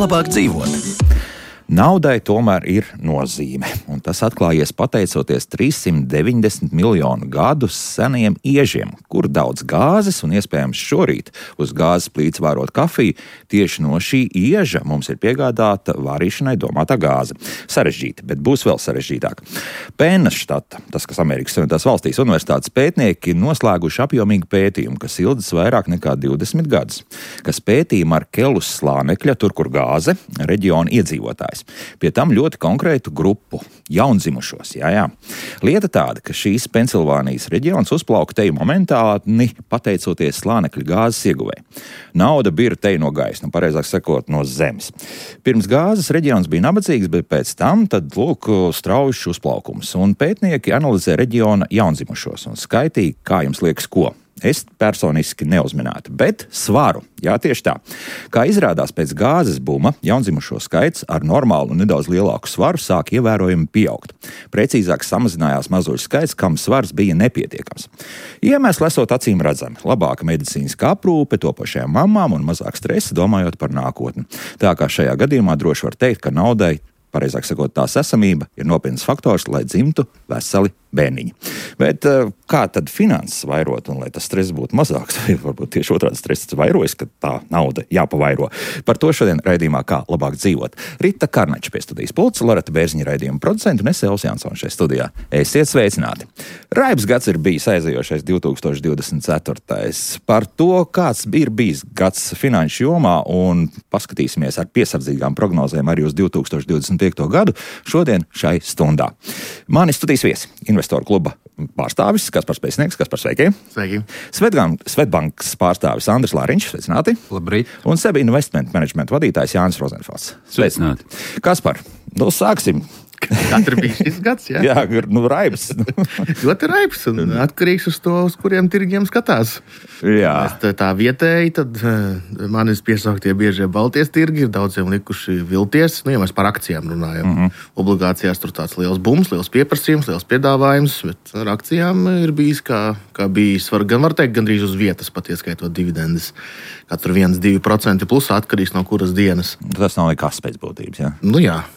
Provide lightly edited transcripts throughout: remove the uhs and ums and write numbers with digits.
Labāk dzīvot. Naudai tomēr ir nozīme, un tas atklājies pateicoties 390 miljonu gadu seniem iežiem, kur daudz gāzes un iespējams šorīt uz gāzes plīts vārot kafiju. Tieši no šī ieža mums ir piegādāta varīšanai domātā gāze. Sarežģīta, bet būs vēl sarežģītāk. Pennas štata, tas, kas Amerikas Savienotās valstīs universitātes pētnieki, noslēguši apjomīgu pētījumu, kas ilgs vairāk nekā 20 gadus, kas pētīja Markelus slānekļa, tur, kur gāze, reģiona iedzīvotājs. Pie tam ļoti konkrētu grupu, jaundzimušos. Jā. Lieta tāda, ka šīs Pensilvānijas reģions uzplauka teju momentāni pateicoties slānekļa gāzes ieguvē. Nauda bira teju no gaisa, pareizāk sakot, no zemes. Pirms gāzes reģions bija nabadzīgs, bet pēc tam tad, lūk, straujišs uzplaukums. Un pētnieki analizē reģiona jaundzimušos un skaitīja, kā jums liekas, ko. Es personiski neuzminētu, bet svaru. Jā, tieši tā. Kā izrādās pēc gāzes buma, jaundzimušo skaits ar normālu un nedaudz lielāku svaru sāk ievērojami pieaugt. Precīzāk samazinājās mazuļu skaits, kam svars bija nepietiekams. Iemesli esot acīm redzami. Labāka medicīniskā aprūpe topošajām mamām un mazāk stresa domājot par nākotni. Tā kā šajā gadījumā droši var teikt, ka naudai, pareizāk sakot, tās esamība ir nopietns faktors, lai dzimtu veseli bērniņi. Bet kā tad finanses vairot un lai tas stress būtu mazāks? Varbūt tieši otrādi stress vairojas, ka tā nauda jāpavairo. Par to šodien raidījumā Kā labāk dzīvot. Rita Karnača pie studijas pults, Loreta Bērziņa raidījuma producentu un es Elvis Jansons šajā studijā. Esiet sveicināti! Raibs gads ir bijis aizējošais 2024. Par to, kāds ir bijis gads finanšu jomā un paskatīsimies ar piesardzīgām prognozēm arī uz 2025. gadu šodien šai stundā. Mani studijas viesi, Investoru kluba pārstāvis Kaspars Pēcnieks. Kaspars, sveiki! Sveiki! Svetbankas pārstāvis Andris Lāriņš, sveicināti! Labrīt! Un SEBI Investment Management vadītājs Jānis Rozenfels. Sveicināti! Kaspar, sāksim! Katru bija šis gads, jā? Jā, raibs. Ļoti raibs un atkarīgs uz to, uz kuriem tirgiem skatās. Jā. Tā vietēji, tad manis piesauktie biežie Baltijas tirgi ir daudziem likuši vilties. Ja mēs par akcijām runājam. Obligācijās tur tāds liels bums, liels pieprasījums, liels piedāvājums, bet ar akcijām ir bijis kā bijis. Gan var teikt, gandrīz uz vietas pat ieskaitot dividendes. Katru 1-2% plusā atkarīgs no kuras dienas. Tas nav nekas pēc būtības, jā?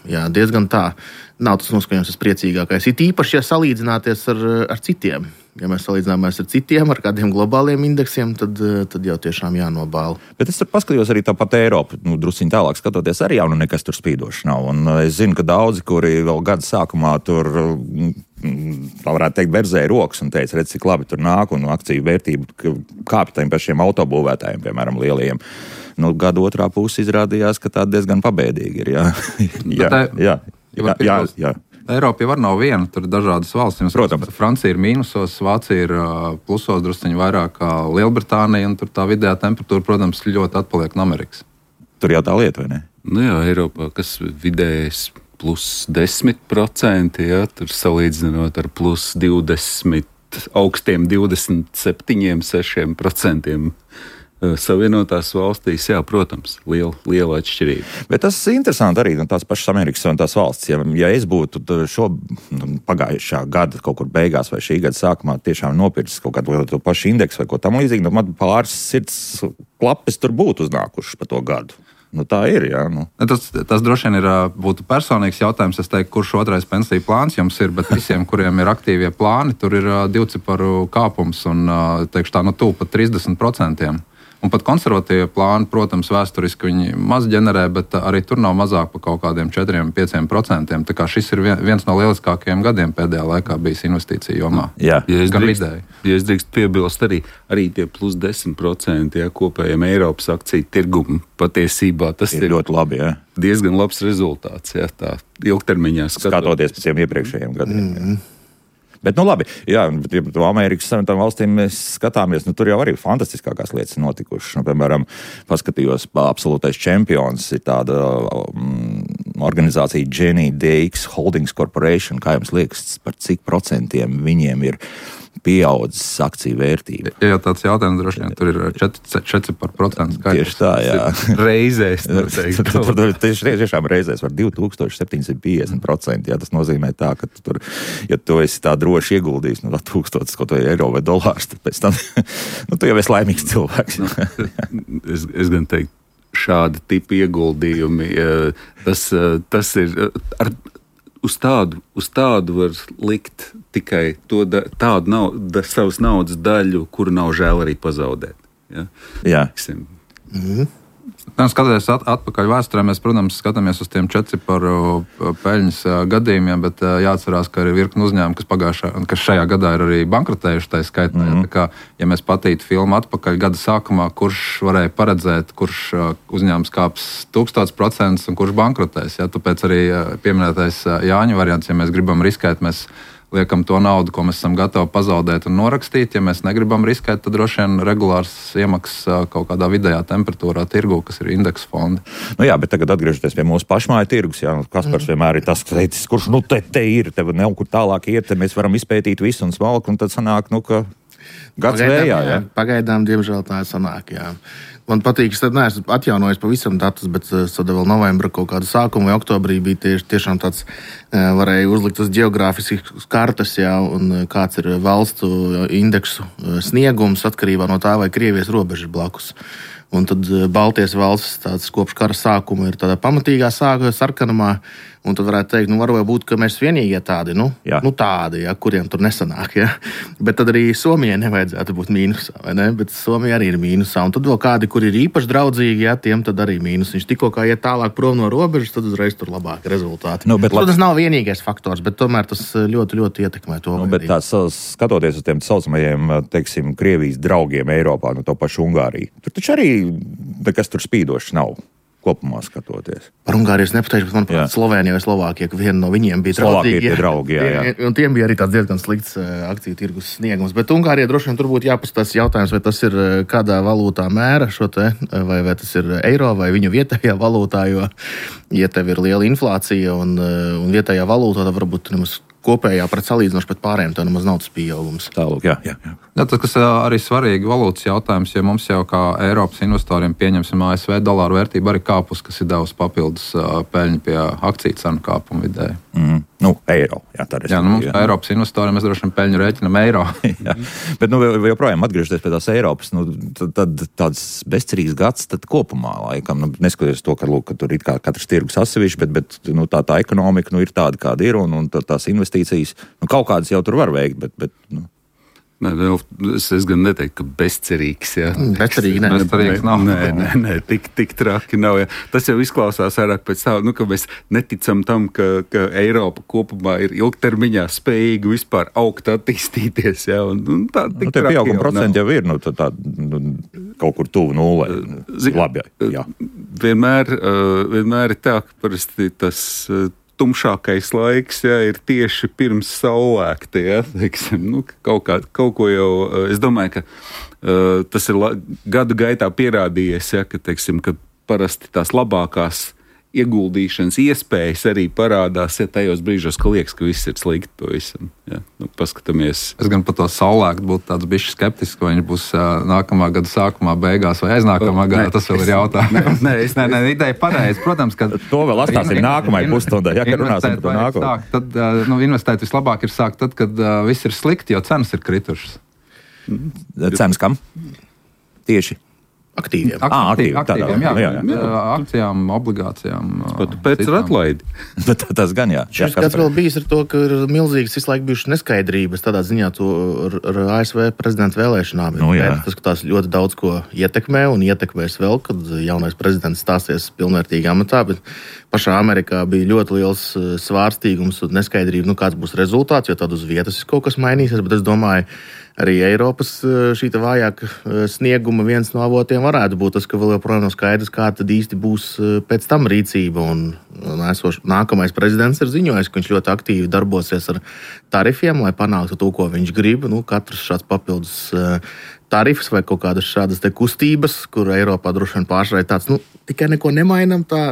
Jā, diezgan tā. Nav tas noskaņojums tas priecīgākais. It īpaši, ja salīdzināties ar citiem. Ja mēs salīdzināmies ar citiem, ar kādiem globāliem indeksiem, tad jau tiešām jānobāla. Bet es tur paskatījos arī tāpat Eiropu, drusciņ tālāk skatoties, arī jau nekas tur spīdošs nav. Un es zinu, ka daudzi, kuri vēl gada sākumā tur, tā varētu teikt, berzēja rokas un teica, redz, cik labi tur nāk un akciju vērtību kāpj tiem pašiem autobūvētājiem, piemēram, lielajiem. Gada otrā puse izrādījās, ka tā diezgan pabēdīgi ir, jā. Jā. Eiropa jau nav viena, tur ir dažādas valstis. Protams. Francija ir mīnusos, Vācija ir plusos drusciņi vairāk kā Lielbritānija, un tur tā vidējā temperatūra, protams, ļoti atpaliek no Amerikas. Tur jau tā lieta, vai ne? Jā, Eiropā, kas vidējais plus 10%, tur salīdzinot ar plus 20, augstiem 27, 6%. Savienotās valstīs, jā, protams, liela atšķirība. Bet tas ir interesanti arī tās pašas Amerikas Savienotās valsts. Ja es būtu pagājušā gada kaut kur beigās vai šī gada sākumā tiešām nopircis kaut kādu lielu pašu indeksu vai ko tam līdzīgi, man pāris sirds klapes tur būtu uznākušas pa to gadu. Tā ir, jā. Tas droši vien būtu personīgs jautājums. Es teiktu, kurš otrais pensiju plāns jums ir, bet visiem, kuriem ir aktīvie plāni, tur ir divciparu kāpums un, teikšu tā, tuvu pat 30%. Un pat konservatīvie plāni, protams, vēsturiski viņi maz ģenerē, bet arī tur nav mazāk par kaut kādiem 4-5%. Tā kā šis ir viens no lieliskākajiem gadiem pēdējā laikā bijis investīciju jomā. Jā. Ja es drīkst piebilst arī tie plus 10% kopējiem Eiropas akciju tirgumu patiesībā tas ir ļoti labi, jā. Diezgan labs rezultāts, jā, tā ilgtermiņā skatoties pēc tiem iepriekšējiem gadiem. Bet, labi, jā, ja Amerikas Savienotām valstīm mēs skatāmies, tur jau arī fantastiskākās lietas notikušas. Piemēram, paskatījos, absolūtais čempions ir tāda organizācija Jenny DX Holdings Corporation. Kā jums liekas, par cik procentiem viņiem ir pieaudzis akciju vērtība. Ja tāds jautājums droši vien tur ir 4%. Tieši tā, jā. Reizēs. Tiešām reizēs var 2750%. Jā, tas nozīmē tā, ka tur, ja tu esi tā droši ieguldījis 1000 kaut vai eiro vai dolārus, tad pēc tam tu jau esi laimīgs cilvēks. Es gan teiktu, šāda tipa ieguldījumi, tas ir uz tādu var likt tikai tādu savas naudas daļu, kuru nav žēl arī pazaudēt. Ja? Jā. Skatoties atpakaļ vēsturē, mēs, protams, skatāmies uz tiem 4-ciparu peļņas gadījumiem, bet jāatcerās, ka ir virkni uzņēmumi, kas šajā gadā ir arī bankrotējuši tā skaitā. Tā kā, ja mēs patītu filmu atpakaļ gada sākumā, kurš varēja paredzēt, kurš uzņēmums kāps 1000% un kurš bankrotēs. Ja? Tāpēc arī pieminētais Jāņa variants, ja mēs gribam riskēt, mēs liekam to naudu, ko mēs esam gatavi pazaudēt un norakstīt. Ja mēs negribam riskēt, tad droši vien regulārs iemaksas kaut kādā vidējā temperatūrā tirgu, kas ir indeksu fondi. Jā, bet tagad atgriežoties pie mūsu pašmāju tirgus, Kaspars vienmēr ir tas, teicis, kurš te ir, tev nav kur tālāk iet, mēs varam izpētīt visu un smalku, un tad sanāk, ka gads vējā. Jā. Pagaidām, diemžēl tā sanāk, jā. Man patīk, es neesmu atjaunojis pavisam datus, bet tad vēl novembra kaut kādu sākumu vai oktobrī bija tiešām tāds, varēja uzlikt uz geogrāfiskas kartes, jā, un kāds ir valstu indeksu sniegums atkarībā no tā, vai Krievijas robeža blakus. Un tad Baltijas valsts tāds kopš kara sākuma ir tādā pamatīgā sarkanumā, un tad varētu teikt, varbūt būt, ka mēs vienīgie tādi, tādi, kuriem tur nesanāk, Bet tad arī Somijai nevajadzētu būt mīnusā, vai ne? Bet Somija arī ir mīnusā, un tad vēl kādi, kur ir īpaši draudzīgi, tiem tad arī mīnus. Viņš tikko kā iet tālāk prom no robežas, tad uzreiz tur labāki rezultāti. Tas nav vienīgais faktors, bet tomēr tas ļoti, ļoti ietekmē to. Bet skatoties uz tiem saucamajiem, teiksim, Krievijas draugiem Eiropā, to pašu Ungāriju, tur taču arī nekas tur spīdošs nav. Kopumā skatoties. Par Ungāriju es nepateikšu, bet manuprāt, Slovēnija vai Slovākija, ka viena no viņiem bija draugi. Un tiem bija arī tāds diezgan slikts akciju tirgus sniegums. Bet Ungārija droši vien tur būtu jāpastāsta jautājums, vai tas ir kādā valūtā mēra šo te, vai tas ir eiro vai viņu vietējā valūtā, jo, ja tev ir liela inflācija un vietējā valūtā, tad varbūt nemaz kopējā pret salīdzinoši pret pārējiem, tā nemaz nav tas pieaugums. Tālūk, jā. Tas, kas arī svarīgi valūtas jautājums, jo mums jau kā Eiropas investoriem pieņemsim ASV dolāru vērtību arī kāpus, kas ir devusi papildus peļņu pie akciju cenu kāpuma vidēji. Eiro. Mums kā Eiropas investoriem mēs droši vien peļņu rēķinam eiro. Bet joprojām atgriežoties pie tās Eiropas, tad tāds bezcerīgs gads tad kopumā laikam, neskatoties to, ka tur ir kā katrs tirgus atsevišķi, bet tā ekonomika ir tāda, kāda ir, un tās investīcijas, kaut kādas jau tur var veikt, bet Es gan neteiktu, ka bezcerīgs. Bezcerīgs nav. Nē, tik traki nav. Jā. Tas jau izklausās vairāk pēc tā, ka mēs neticam tam, ka Eiropa kopumā ir ilgtermiņā spējīga vispār augt, attīstīties. Jā, tie pieauguma procenti jau ir kaut kur tuvu nulē. Labi, jā. Vienmēr ir tā, ka parasti tas tumšākais laiks ir tieši pirms saulēkta. Ja, kaut ko jau, es domāju, ka tas ir gadu gaitā pierādījies, ka parasti tās labākās ieguldīšanas iespējas arī parādās tajos brīžos, ka liekas, ka viss ir slikti pavisam. Ja, paskatāmies. Es gan par to saulēktu būtu tāds bišķi skeptisks, vai viņš būs nākamā gada sākumā, beigās vai aiznākamā gadā. Tas vēl ir jautājums. Nē, ideja pareizi. Protams, ka to vēl atstāsim nākamajai pusstundai, kad runāsim par to nākotnē. Tad investēt vislabāk ir sākt tad, kad viss ir slikti, jo cenas ir kritušas. Cenas kam? Tieši? Aktīviem. Akcijām, obligācijām. Pēc ir atlaidi. Tas gan jā. Šis gads vēl bijis ar to, ka ir milzīgas visu laiku bijušas neskaidrības. Tādā ziņā to ar ASV prezidenta vēlēšanām. Tas, ka tās ļoti daudz ko ietekmē un ietekmēs vēl, kad jaunais prezidents stāsies pilnvērtīgi amatā. Bet pašā Amerikā bija ļoti liels svārstīgums un neskaidrība, kāds būs rezultāts, jo tad uz vietas kaut kas mainīsies. Bet es domāju, arī Eiropas šī vājāka snieguma viens no avotiem varētu būt tas, ka vēl joprojām nav skaidrs, kā tad īsti būs pēc tam rīcība. Nākamais prezidents ir ziņojis, ka viņš ļoti aktīvi darbosies ar tarifiem, lai panāktu to, ko viņš grib. Katrs šāds papildus tarifs vai kaut kādas šādas kustības, kur Eiropā droši vien pārsvarā tāds, tikai neko nemainam, tā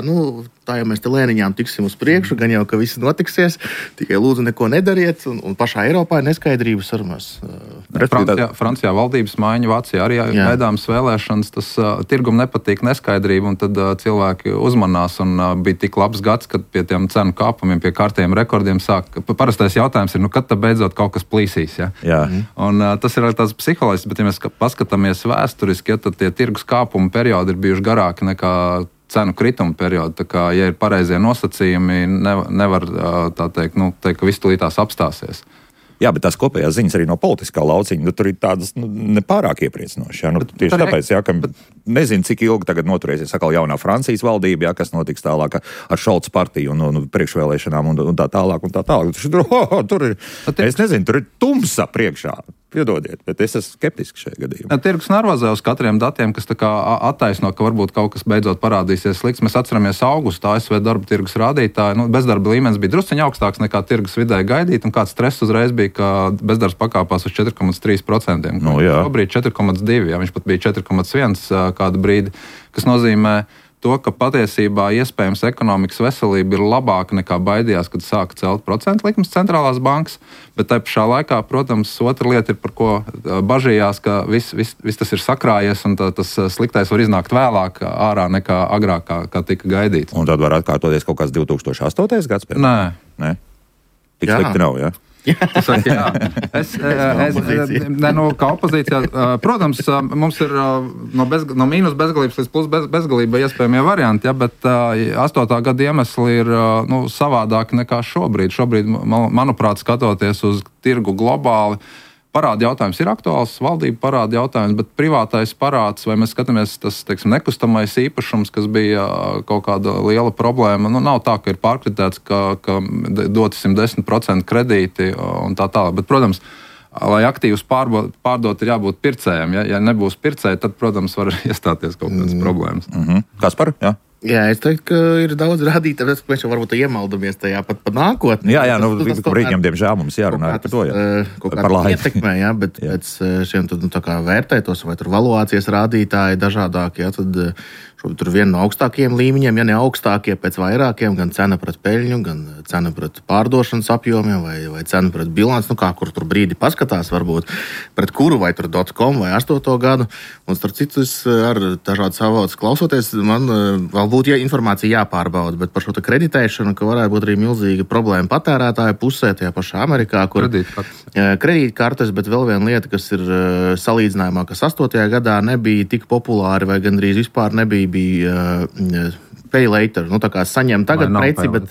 jau mēs te lēniņām tiksim uz priekšu, gan jau, ka viss notiksies, tikai lūdzu neko nedariet, un pašā Eiropā ir neskaidrības ar mēs. Francijā valdības maiņa, Vācijā arī gaidāmas vēlēšanas, tas tirgum nepatīk neskaidrība, un tad cilvēki uzmanās, un bija tik labs gads, kad pie tiem cenu kāpumiem, pie kārtiem rekordiem parastais jautājums ir, kad tad beidzot kaut kas plīsīs, ja? Jā. Un tas ir tāds psiholoģisks, bet ja mēs paskatāmies vēsturiski, tad tie tirgus kāpuma periodi ir bijuši garāki nekā cenu krituma periodi. Tā kā, ja ir pareizie nosacījumi, nevar tā teikt, ka viss tūlītās apstāsies. Jā, bet tās kopējās ziņas arī no politiskā lauciņa, tur ir tādas nepārāk iepriecinošas. Tieši tāpēc, ka nezinu, cik ilgi tagad noturēsies atkal jaunā Francijas valdība, kas notiks tālāk ar Šolca partiju un priekšvēlēšanām un tā tālāk. Tur ir, es nezinu, tur ir tumsa priekšā. Piedodiet, bet es esmu skeptisks šajā gadījumā. Tirgus nervozē uz katriem datiem, kas tā kā attaisno, ka varbūt kaut kas beidzot parādīsies slikts. Mēs atceramies augustu ASV darba tirgus rādītāju. Bezdarba līmenis bija drusciņ augstāks nekā tirgus vidēji gaidīt, un kāds stress uzreiz bija, ka bezdarbs pakāpās uz 4,3%. Šobrīd 4,2%, viņš pat bija 4,1% kādu brīdi, kas nozīmē to, ka patiesībā iespējams ekonomikas veselība ir labāka nekā baidījās, kad sāka celt procentu likmes centrālās bankas, bet tai pašā laikā, protams, otra lieta ir, par ko bažījās, ka viss tas ir sakrājies un tas sliktais var iznākt vēlāk ārā nekā agrāk, kā tika gaidīts. Un tad var atkārtoties kaut kāds 2008. Gads? Nē. Tik slikti nav, jā? Saka, jā. Kā opozīcijā, protams, mums ir no mīnus bezgalības līdz plus bezgalība iespējamie varianti, ja, bet 8. gada iemesli ir savādāki nekā šobrīd. Šobrīd, manuprāt, skatoties uz tirgu globāli, parāda jautājums ir aktuāls, valdība parāda jautājums, bet privātais parāds, vai mēs skatāmies tas, nekustamais īpašums, kas bija kaut kāda liela problēma, nav tā, ka ir pārkritēts, ka doti 110% kredīti un tā tālāk. Bet, protams, lai aktīvus pārdot, ir jābūt pircējiem. Ja nebūs pircēji, tad, protams, var iestāties kaut kādas problēmas. Kaspar, jā? Jā, es teiktu, ka ir daudz rādītāju, ka mēs jau varbūt iemaldamies tajā pat nākotnē. Jā, brīdiem, diemžēm mums jārunā par to. Par laiku ietekmē, jā, bet pēc šiem tad, vērtētos, vai tur valuācijas rādītāji dažādākie, tad šobrīd tur viena no augstākajiem līmeņiem, ja ne augstākie pēc vairākiem, gan cena pret peļņu, gan cena pret pārdošanas apjomiem, vai cena pret bilanci, kur tur brīdi paskatās, varbūt pret kuru, vai tur .com vai 8. gadu. Un starp citu, ar dažādas avotus klausoties, man vēl būtu informācija jāpārbauda, bet par šo kreditēšanu, ka varētu būt arī milzīga problēma patērētāju pusē, tajā pašā Amerikā, kur kredītkartes, bet vēl viena lieta, kas ir salīdzinājumā, kas 8. gadā nebija tik populāri vai gandrīz vispār nebija pay later, tā kā saņem tagad preci, bet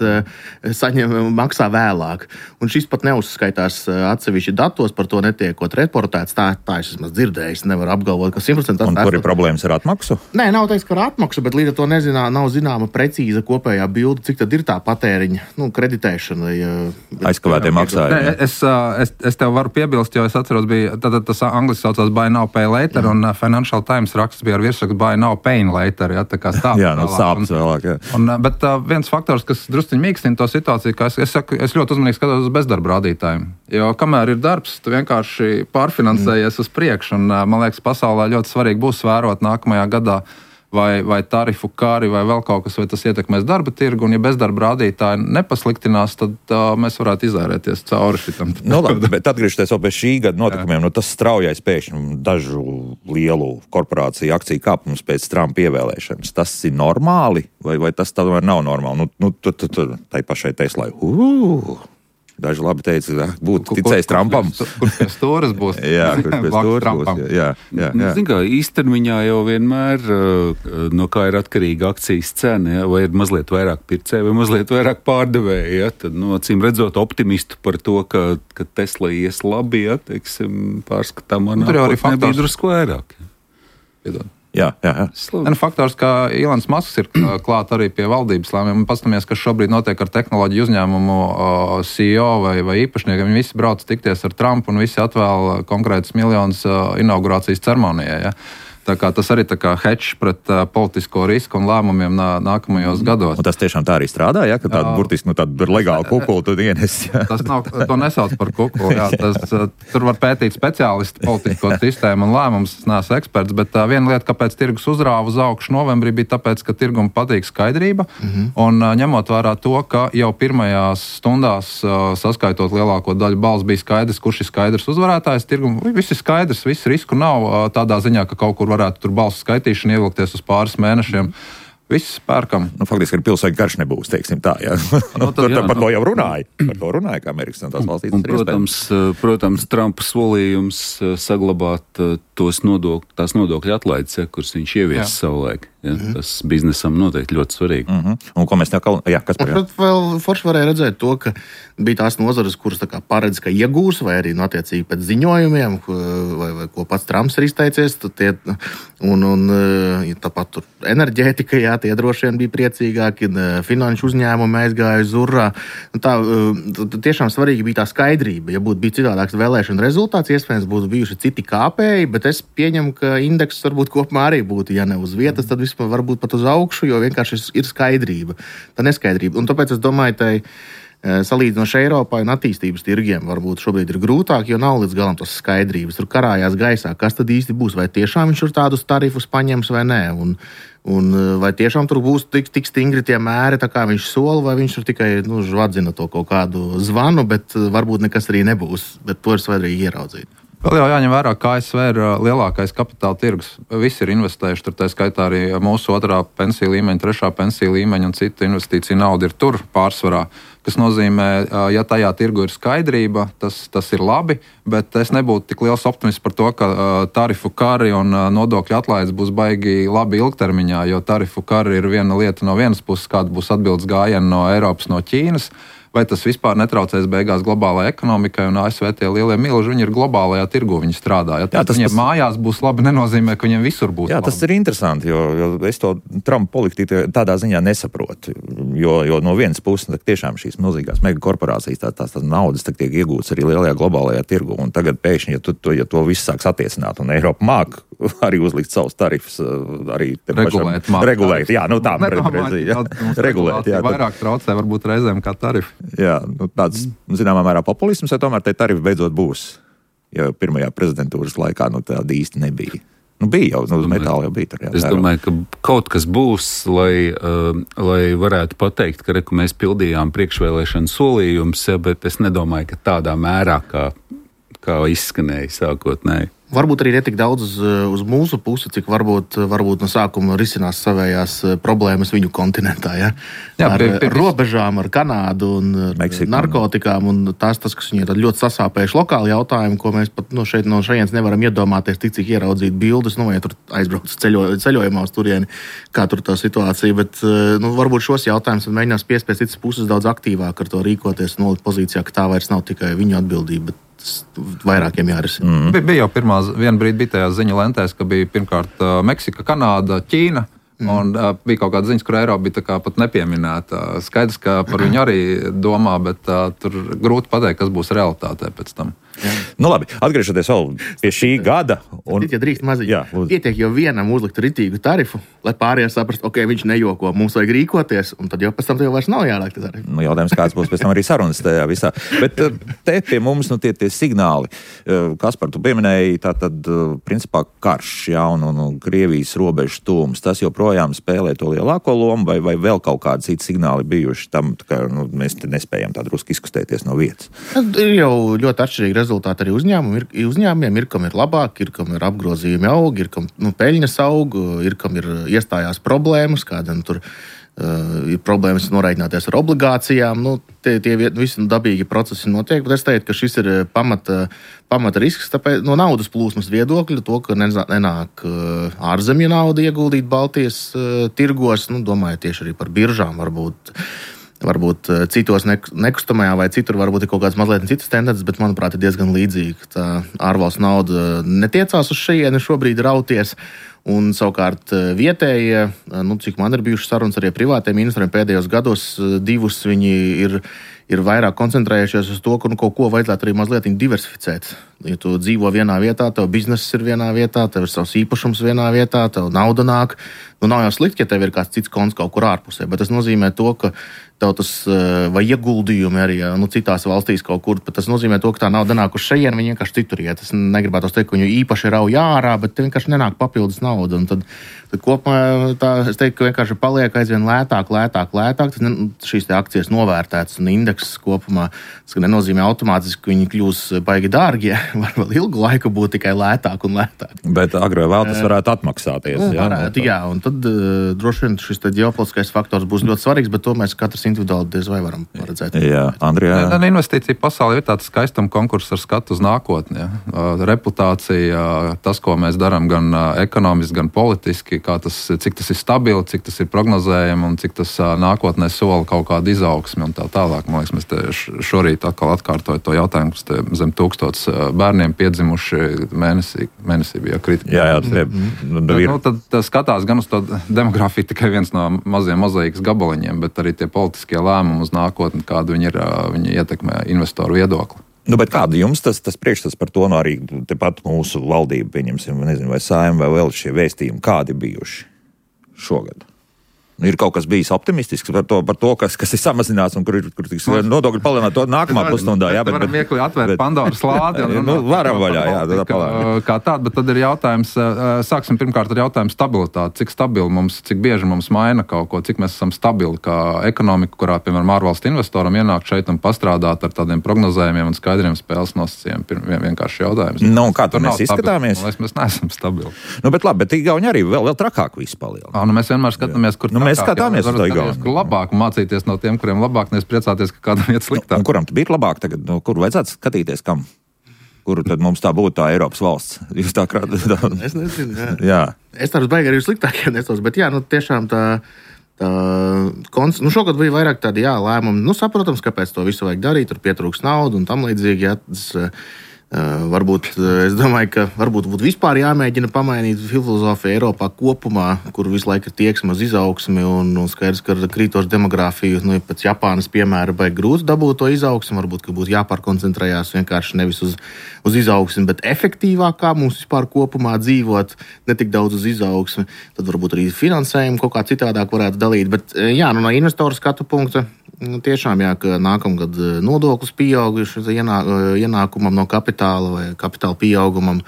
maksā vēlāk. Un šis pat neuzskaitās atsevišķi datos, par to netiekot reportēts. Tā es esmu dzirdējis, nevar apgalvot, ka 100%. Un kur ir problēmas ar atmaksu? Nē, nav teiks, ka ar atmaksu, bet līdz ar to nav zināma precīza kopējā bilde, cik tad ir tā patēriņa, kreditēšana. Aizkavētie maksājumi. Es tev varu piebilst, jo es atceros, bija tas angliski saucās buy now, pay later, un Financial Times raksts bija ar virsrakstu buy now, pay later, ja, tā kā stāv. Jā, sāps vēl. Bet viens faktors, kas drusciņ mīkstina to situāciju, ka es ļoti uzmanīgi skatos uz bezdarba rādītājiem. Jo kamēr ir darbs, tu vienkārši pārfinansējies uz priekšu. Un, man liekas, pasaulē ļoti svarīgi būs vērot nākamajā gadā vai tarifu kāri vai vēl kaut kas, vai tas ietekmēs darba tirgu. Un ja bezdarba rādītāji nepasliktinās, tad mēs varētu izērēties cauri šitam. Labi, bet atgriežoties vēl pie šī gada notikumiem, tas straujais pēkšņi dažu lielu korporāciju akciju kāpums pēc Trumpa ievēlēšanas. Tas ir normāli vai tas tomēr nav normāli? Tai pašai Teslai. Daži labi teica, būtu ticējis Trumpam. Kurš pie stūras būs? Jā, kurš pie stūras būs. Jā. Zin kā, īstermiņā jau vienmēr no kā ir atkarīga akcijas cena, ja? Vai ir mazliet vairāk pircēji vai mazliet vairāk pārdevēji. Ja? Tad, acīm redzot, optimistu par to, ka Tesla ies labi, ja? Pārskatāmā nākotnē bija drusku vairāk. Piedod. Jā. Faktors, ka Ilons Masks ir klāt arī pie valdības lēmumiem. Paskatāmies, kas šobrīd notiek ar tehnoloģiju uzņēmumu CEO vai īpašniekiem. Viņi visi brauc tikties ar Trumpu un visi atvēl konkrētus miljonus inaugurācijas ceremonijai. Ja? Tā kā tas arī tā kā hedge pret politisko risku un lēmumiem nākamajos gados. Un tas tiešām tā arī strādā, ja? Ka tāda burtiski tāda legāla kukula tu ienes. Tas nav, to nesauc par kukulu. Jā, tur var pētīt speciālisti politisko sistēmu un lēmumus. Es neesmu eksperts, bet viena lieta, kāpēc tirgus uzrāva uz augšu novembrī, bija tāpēc, ka tirgum patīk skaidrība. Un ņemot vērā to, ka jau pirmajās stundās saskaitot lielāko daļu balsu bija skaidrs, kurš ir skaidrs uzvarētājs. Tirgum viss ir skaidrs, viss risku nav tādā ziņā, ka kaut kur varētu tur balsu skaitīšanu ievilkties uz pāris mēnešiem. Viss pērkam. Faktiski ir pilsēņu karš nebūs, teiksim tā. Ja? Par to jau runāja. Par to runāja, kā Amerikas un tās valstīs. Un, protams, Trumpa solījums saglabāt tās nodokļu atlaides, kuras viņš ievies savulaik. Ja? Tas biznesam noteikti ļoti svarīgi. Un ko mēs kas par jā? Vēl forši varēja redzēt to, ka bija tās nozares, kuras tā kā paredz, ka iegūs, vai arī attiecīgi pēc ziņojumiem, vai ko pats Trumps ir izteicies. Tāpat tur enerģētika, jā, tie droši vien bija priecīgāki, finanšu uzņēmumi aizgāja uz urā. Tiešām svarīgi bija tā skaidrība. Ja būtu bijis citādāks vēlēšana rezultāts, iespējams būtu bijuši citi kāpēji, bet es pieņemu, ka indeks varbūt kopumā arī būtu, ja ne uz vietas, tad vispār varbūt pat uz augšu, jo vienkārši ir skaidrība. Tā neskaidrība. Un tāpēc es domāju, salīdzinoši Eiropai un attīstības tirgiem varbūt šobrīd ir grūtāk, jo nav līdz galam tas skaidrības. Tur karājās gaisā, kas tad īsti būs, vai tiešām viņš tur tādus tarifus paņems vai nē. Un vai tiešām tur būs tik stingri tie mēri, tā kā viņš sola, vai viņš tur tikai žvadzina to kaut kādu zvanu, bet varbūt nekas arī nebūs. Bet to ir svarīgi ieraudzīt. Vēl jau jāņem vērā, ka ASV ir lielākais kapitāla tirgus. Visi ir investējuši, tur tā skaitā arī mūsu 2. pensiju līmeņa, 3. pensiju līmeņa un cita investīcija nauda ir tur pārsvarā. Kas nozīmē, ja tajā tirgu ir skaidrība, tas ir labi, bet es nebūtu tik liels optimists par to, ka tarifu kari un nodokļu atlaides būs baigi labi ilgtermiņā, jo tarifu kari ir viena lieta no vienas puses, kāda būs atbildes gājiena no Eiropas, no Ķīnas. Vai tas vispār netraucēs beigās globālajai ekonomikai un ASV tie lielie milži, viņi ir globālajā tirgu, viņi strādā. Ja tas viņiem mājās būs labi, nenozīmē, ka viņiem visur būs labi. Tas ir interesanti, jo es to Trumpa politiku tādā ziņā nesaprotu. Jo no vienas puses tiešām šīs milzīgās megakorporācijas, tās naudas tiek iegūtas arī lielajā globālajā tirgu. Un tagad pēkšņi, ja to viss sāks attiecināt, un Eiropa māk arī uzlikt savus tarifus, arī regulēt. Jā, tā regulēt. Jā, vairāk traucē varbūt reizēm kā tarifi. Jā, tāds, zināmā mērā populisms, ja tomēr tie tarifi beidzot būs. Ja pirmajā prezidentūras laikā tāda īsti nebija. Bija jau, uz metāla jau bija tur. Jā, es domāju, ka kaut kas būs, lai varētu pateikt, ka mēs pildījām priekšvēlēšanu solījumus, bet es nedomāju, ka tādā mērā, kā izskanēja sākotnēji. Varbūt arī netik daudz uz mūsu pusi, cik varbūt no sākuma risinās savējās problēmas viņu kontinentā. Ja? Ar robežām, ar Kanādu un Meksiku, narkotikām. Un tas, kas viņiem ir ļoti sasāpējuši lokāli jautājumi, ko mēs pat no šejienes nevaram iedomāties, cik ieraudzīt bildes, vai tur aizbrauc ceļojumā uz turieni, kā tur tā situācija. Bet varbūt šos jautājumus mēģinās piespiest citas puses daudz aktīvāk ar to rīkoties, nolikt pozīcijā, ka tā vairs nav tikai viņu atbildība, bet vairākiem jārisina. Bija jau viena brīdi bija tajās ziņu lentēs, ka bija pirmkārt Meksika, Kanāda, Ķīna. Un bija kaut kāda ziņas, kur Eiropa bija tā kā pat nepieminēta. Skaidrs, ka par viņu arī domā, bet tur grūti pateikt, kas būs realitātē pēc tam. Nu labi, atgriežoties vēl pie šī gada. Ja drīkst maziņ, pietiek jau vienam uzlikt ritīgu tarifu, lai pārējie saprast, ok, viņš nejoko, mums vajag rīkoties, un tad jau pēc tam tev vairs nav jāliek tarifu. Jautājums, kāds būs pēc tam arī sarunas tajā visā. Bet te pie mums tie signāli, Kaspar, tu pieminēji, tātad principā karš, un Krievijas robežu tūms, tas joprojām spēlē to lielāko lomu, vai vēl kaut kādi citi signāli bijuši tam, ka mēs nespējam tā drusku izkustēties no vietas? Ir jau ļoti atšķirīgi rezultāti arī uzņēmumiem. Ir, kam ir labāk, ir, kam ir apgrozījumi aug, ir, kam peļņas aug, ir, kam ir iestājās problēmas, kādam tur ir problēmas norēķināties ar obligācijām. Tie visi dabīgi procesi notiek, bet es teiktu, ka šis ir pamata risks tāpēc, no naudas plūsmas viedokļa, to, ka nenāk ārzemju nauda ieguldīt Baltijas tirgos. Domāju tieši arī par biržām varbūt citos nekustamajā vai citur varbūt ir kaut kāds mazliet citas tendences, bet, manuprāt, ir diezgan līdzīgi. Tā ārvalstu nauda netiecās uz šejieni šobrīd rauties, Un savukārt vietējie, cik man ir bijušas sarunas arī privātiem investoriem pēdējos gados, divus viņi ir vairāk koncentrējušies uz to, ka kaut ko vajadzētu arī mazliet diversificēt. Ja tu dzīvo vienā vietā, tev bizness ir vienā vietā, tev ir savs īpašums vienā vietā, tev nauda nāk. Nav jau slikti, ja tev ir kāds cits konts kaut kur ārpusē, bet tas nozīmē to, ka tev tas vai ieguldījumi arī citās valstīs kaut kur, bet tas nozīmē to, ka tā nauda nāk uz šejien, viņi vienkārši citur iet. Es negribētu teikt, ka viņu īpaši rauj ārā, bet vienkārši nenāk papildus nauda. Un tad kopumā es teiktu, ka vienkārši paliek aizvien lētāk. Šīs te akcijas novērtētas un indekses kopumā. Tas nenozīmē automātiski, ka viņi kļūs baigi dārgie. Var vēl ilgu laiku būt tikai lētāk un lētāk. Bet agrāk vēl tas varētu atmaksāties. Jā, un tad droši vien šis ģeopolitiskais faktors būs ļoti svarīgs, bet to mēs katrs individuāli diez vai varam paredzēt. Jā, Andrijā. Investīcija pasaulē ir tāds skaistuma konkurss ar skatu uz nākotni. Ja. Reputācija, tas, ko mēs darām gan ekonomiski, gan politiski, cik tas ir stabili, cik tas ir prognozējami un cik tas nākotnē sola kaut kādu izaugsmi un tā tālāk. Man liekas, mēs šorīt atkal atkārtoju to jautājumu, kas zem 1000 bērniem piedzimuši mēnesī bija kritika. Tad skatās gan uz to demografiju tikai viens no maziem mozaīkas gabaliņiem, bet arī tie politiskie lēmumi uz nākotni, kādu viņi ietekmē investoru viedokli. Bet kāda jums tas priekšstats par to, arī tepat mūsu valdība, pieņemsim, nezinu, vai Saeima, vai vēl šie vēstījumi, kādi bijuši šogad? Ir kaut kas bijis optimistisks par to kas ir samazināts un kur tiks nodokļi palielināt to nākamā pusstundā. Jā, bet varam viegli atvērt Pandoras lādi. Varam vaļā, jā. Kā tāda, bet tad ir jautājums, sāksim pirmkārt ar jautājumu stabilitāti. Cik stabili mums, cik bieži mums maina kaut ko, cik mēs esam stabili kā ekonomika, kurā, piemēram, ārvalstu investoram ienāk šeit un pastrādāt ar tādiem prognozējumiem un skaidriem spēles nosacījumiem. Vienkārši jautājums. Kā tur mēs izskatāmies? Mēs neesam stabili. Bet labi, bet Igauni arī vēl trakāk visu palielina. Mēs vienmēr skatāmies, kur mēs skatāmies uz to Igauni. Kur labāk mācīties no tiem, kuriem labāk, nevis priecāties, ka kādam iet sliktāk. Un kuram bija labāk tagad? Kur vajadzētu skatīties, kam? Kuru tad mums tā būtu tā Eiropas valsts? Jūs tā Es nezinu, jā. Es tādu baigi arī sliktākie nesos, bet tiešām šogad bija vairāk tādi lēmumi. Saprotams, kāpēc to visu vajag darīt, tur pietrūks naudu un tam līdzīgi. Varbūt, es domāju, ka varbūt būtu vispār jāmēģina pamainīt filozofiju Eiropā kopumā, kur visu laiku ir tieksme uz izaugsmi un skaidrs, ka ar krītošu demogrāfiju, pēc Japānas piemēra, baigi grūti dabūt to izaugsmi. Varbūt, ka būtu jāpārkoncentrējās vienkārši nevis uz izaugsmi, bet efektīvāk, kā mums vispār kopumā dzīvot, ne tik daudz uz izaugsmi. Tad varbūt arī finansējumu kaut kā citādāk varētu dalīt. Bet no investoru skatu punkta tiešām, ka nākamgad nodoklis pieauguši ienākumam no kapitāla vai kapitāla pieaugumam.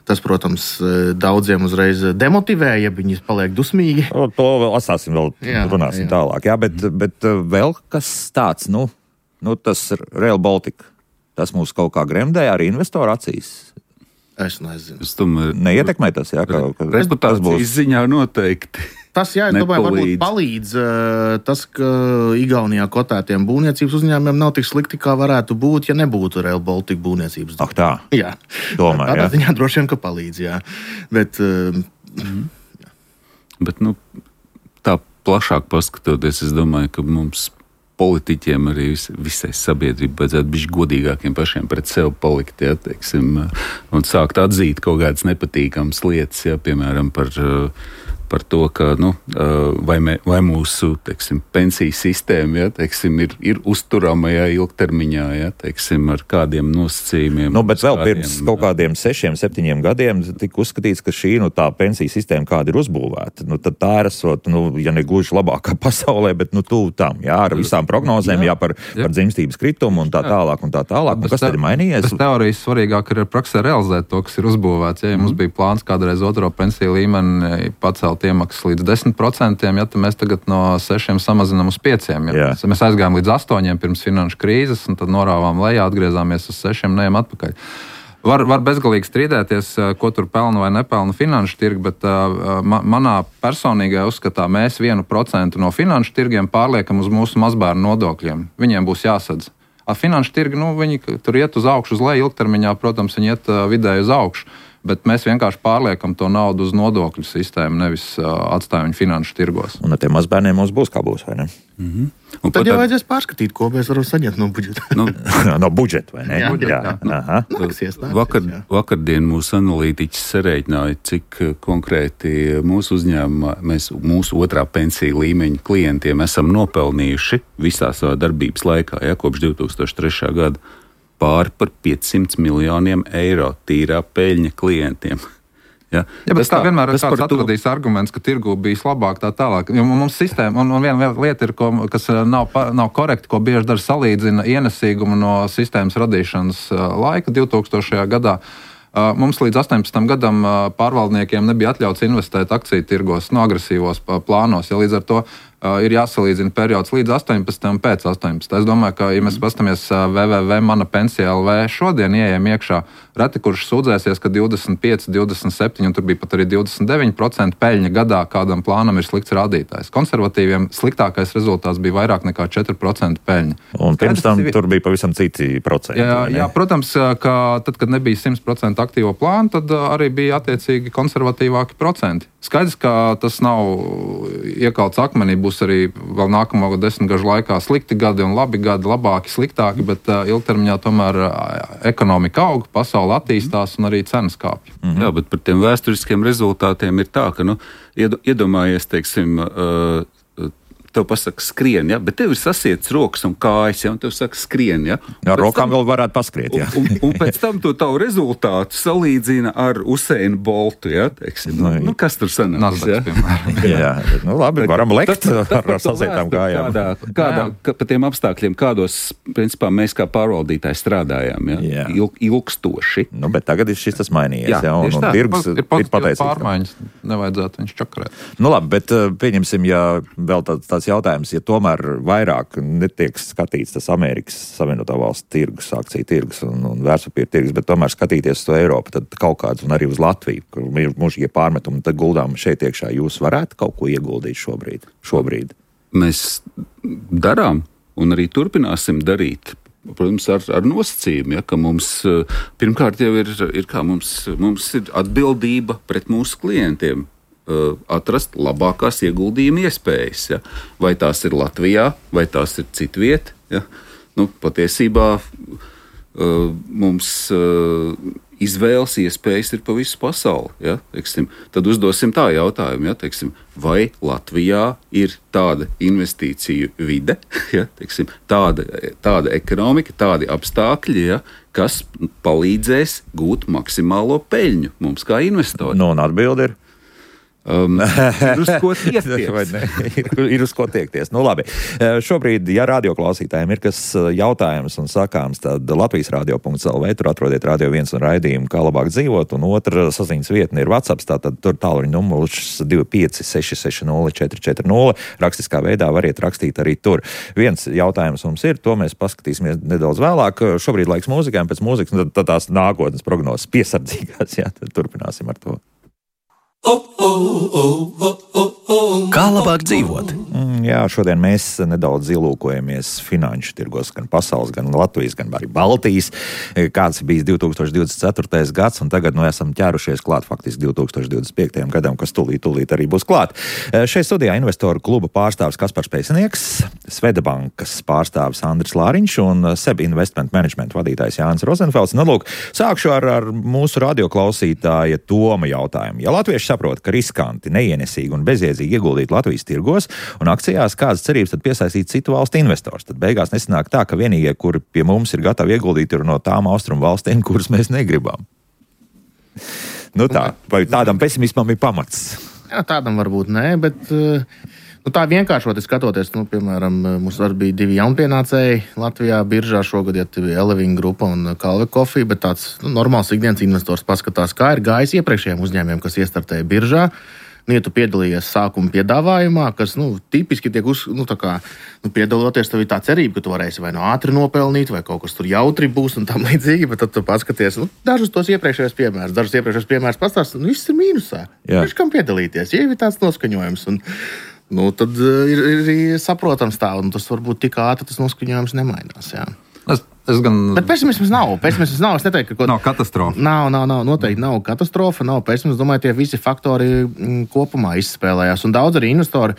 Tas, protams, daudziem uzreiz demotivē, ja viņi paliek dusmīgi. To vēl atstāsim, runāsim tālāk. Jā, bet vēl kas tāds, tas Rail Baltica, tas mūs kaut kā gremdē arī investoru acīs. Es nezinu. Es domāju, neietekmē tas, reputācijas ziņā noteikti. Tas, es domāju, varbūt palīdz tas, ka Igaunijā kotētiem būvniecības uzņēmumiem nav tik slikti, kā varētu būt, ja nebūtu Rail Baltica būvniecības. Tā? Jā. Tomēr, tādā ziņā droši vien, ka palīdz, jā. Bet, Bet tā plašāk paskatoties, es domāju, ka mums politiķiem arī visai sabiedrībai vajadzētu būt godīgākiem pašiem pret sevi palikt, un sākt atzīt kaut kādas nepatīkamas lietas, piemēram, par to, ka vai mūsu pensiju sistēma ir uzturama ilgtermiņā, ar kādiem nosacījumiem. Bet vēl pirms kaut kādiem 6-7 gadiem tika uzskatīts, ka šī tā pensiju sistēma, kāda ir uzbūvēta, tad tā ir esot, ja ne gluži labākā pasaulē, bet tuvu tam, ar visām prognozēm, par dzimstības kritumu un tā tālāk. Kas tad ir mainījies? Tas teorijas svarīgāk ir praksē realizēt to, kas ir uzbūvēts. Ja mums bija plāns kādreiz otro pensiju līmeni pacelt iemaksas līdz 10%, tad mēs tagad no 6 samazinām uz 5%. Mēs aizgājām līdz 8% pirms finanšu krīzes, un tad norāvām lejā, atgriezāmies uz 6%, neejam atpakaļ. Var bezgalīgi strīdēties, ko tur pelna vai nepelna finanšu tirgi, bet manā personīgajā uzskatā mēs 1% no finanšu tirgiem pārliekam uz mūsu mazbērnu nodokļiem. Viņiem būs jāsadz. Finanšu tirgi, viņi tur iet uz augšu, uz leju ilgtermiņā, protams, viņi iet vidēji uz augšu. Bet mēs vienkārši pārliekam to naudu uz nodokļu sistēmu, nevis atstājam viņu finanšu tirgos. Un ar tiem mazbērniem mums būs kā būs, vai ne? Un tad jau vajadzēs pārskatīt, ko mēs varam saņemt no budžeta. No budžeta, vai ne? Jā. Nāksies, Vakardien mūsu analītiķis sarēķināja, cik konkrēti mūsu uzņēmumā, mūsu otrā pensiju līmeņa klientiem esam nopelnījuši visā savā darbības laikā, kopš 2003. gada. Pāri par 500 miljoniem eiro tīrā peļņa klientiem. Ja, bet tā vienmēr ir kāds atradījis arguments, ka tirgu bijis labāk tā tālāk. Jo mums sistēma, un viena lieta ir, kas nav korekta, ko bieži dara salīdzina ienesīgumu no sistēmas radīšanas laika 2000. gadā. Mums līdz 18 gadam pārvaldniekiem nebija atļauts investēt akciju tirgos, agresīvos plānos. Ja līdz ar to ir jāsalīdzina periods līdz 18 un pēc 18. Es domāju, ka, ja mēs pastamies www.manapensija.lv šodien ieejam iekšā, reti kurš sūdzēsies, ka 25, 27 un tur bija pat arī 29% peļņa gadā kādam plānam ir slikts rādītājs. Konservatīviem sliktākais rezultāts bija vairāk nekā 4% peļņa. Un pirms tam tur bija pavisam citi procenti. Jā, protams, ka tad, kad nebija 100% aktīvo plānu, tad arī bija attiecīgi konservatīvāki procenti. Skaidrs, ka tas nav iekalts akmenī, būs arī vēl nākamo 10 gažu laikā slikti gadi un labi gadi, labāki, sliktāki, bet ilgtermiņā tomēr ekonomika aug, pasaule attīstās un arī cenas kāpj. Jā, bet par tiem vēsturiskiem rezultātiem ir tā, ka, iedomājies, teiksim, tev pasaka skrien, ja? Bet tev ir sasietas rokas un kājas, ja? Un tev saka skrien, ja? Ar rokām vēl varētu paskriet, ja? Un pēc tam to tavu rezultātu salīdzina ar Usainu Boltu, ja? Teiksim, kas tur sanāks, ja? Jā, labi, varam lekt ar sasietām kājām. Pa tiem apstākļiem, kādos, principā, mēs kā pārvaldītāji strādājām, ja? Ilgstoši. Bet tagad ir šis tas mainījies, ja? Un tirgus ir pateicīgs. Pārmaiņas nevajadzētu viņš čakarēt. Labi, bet pieņemsim, ja vēl tāds jautājums, ja tomēr vairāk netiek skatīts tas Amerikas Savienotā valsts tirgus, akciju tirgus un vērtspapīra tirgus, bet tomēr skatīties to Eiropu, tad kaut kāds un arī uz Latviju, kur ir mūžīgie pārmetumi, tad guldām šeit iekšā. Jūs varētu kaut ko ieguldīt šobrīd? Mēs darām un arī turpināsim darīt. Protams, ar nosacījumu, ja, ka mums pirmkārt jau ir kā mums ir atbildība pret mūsu klientiem. Atrast labākās ieguldījuma iespējas. Ja? Vai tās ir Latvijā, vai tās ir citviet. Ja? Patiesībā mums izvēles iespējas ir pa visu pasauli. Ja? Teiksim, tad uzdosim tā jautājumu, ja? Teiksim, vai Latvijā ir tāda investīciju vide, ja? Teiksim, tāda ekonomika, tādi apstākļi, ja? Kas palīdzēs gūt maksimālo peļņu mums kā investoriem. Un atbildi ir? Ir uz ko tiekties. Ir uz ko tiekties. Labi. Šobrīd, ja radioklausītājiem ir kas jautājums un sakāms, tad Latvijas radio.lv, tur atrodiet Radio 1 un raidījumu, kā labāk dzīvot, un otra saziņas vietne ir WhatsApp, tātad tur tālruņa numurs 25 660 440. Rakstiskā veidā variet rakstīt arī tur. Viens jautājums mums ir, to mēs paskatīsimies nedaudz vēlāk. Šobrīd laiks mūzikām, pēc mūzikas, un tad tās nākotnes prognozes piesardzīgās, jā, tad turpināsim ar to. Kā labāk dzīvot? Jā, šodien mēs nedaudz ielūkojamies finanšu tirgos, gan pasaules, gan Latvijas, gan arī Baltijas. Kāds bijis 2024. gads, un tagad esam ķērušies klāt faktiski 2025. gadam, kas tūlīt arī būs klāt. Šeit studijā investoru kluba pārstāvs Kaspars Pēcinieks, Svedabankas pārstāvs Andris Lāriņš un SEB Investment Management vadītājs Jānis Rozenfelds. Sākšu ar mūsu radioklausītāja Toma jautājumu. Ja latvieši saprot, ka riskanti, neienesīgi un bezjēdzīgi ieguldīt Latvijas tirgos un akcijās, kādas cerības tad piesaistīt citu valstu investors. Tad beigās nesanāk tā, ka vienīgie, kuri pie mums ir gatavi ieguldīt, ir no tām austrumu valstīm, kuras mēs negribam. Tā, vai tādam pesimismam ir pamats? Jā, tādam varbūt nē, bet tā vienkāršoti skatoties, piemēram, mums bija 2 jaunpienācēji Latvijā biržā šogad, ja bija Eleving grupa un Kalve Coffee, bet tāds normāls ikdienas investors paskatās, kā ir gājis iepriekšējiem uzņēmumiem, kas iestartēja biržā. Ja tu piedalījies sākuma piedāvājumā, kas tipiski tiek piedaloties, tev ir tā cerība, ka tu varēsi vai ātri nopelnīt, vai kaut kas tur jautri būs un tam līdzīgi, bet tad tu paskaties dažus tos iepriekšējos piemērus pastāst, viss ir mīnusā. Viņš kam piedalīties, ja ir tāds noskaņojums. Tad ir saprotams tā, un tas varbūt tik ātri tas noskaņojums nemainās. Jā. Bet pesimisms nav. Es neteiktu, ka nav katastrofa. Nav, noteikti nav katastrofa. Nav pesimisms. Domāju, tie visi faktori kopumā izspēlējās. Un daudz arī investori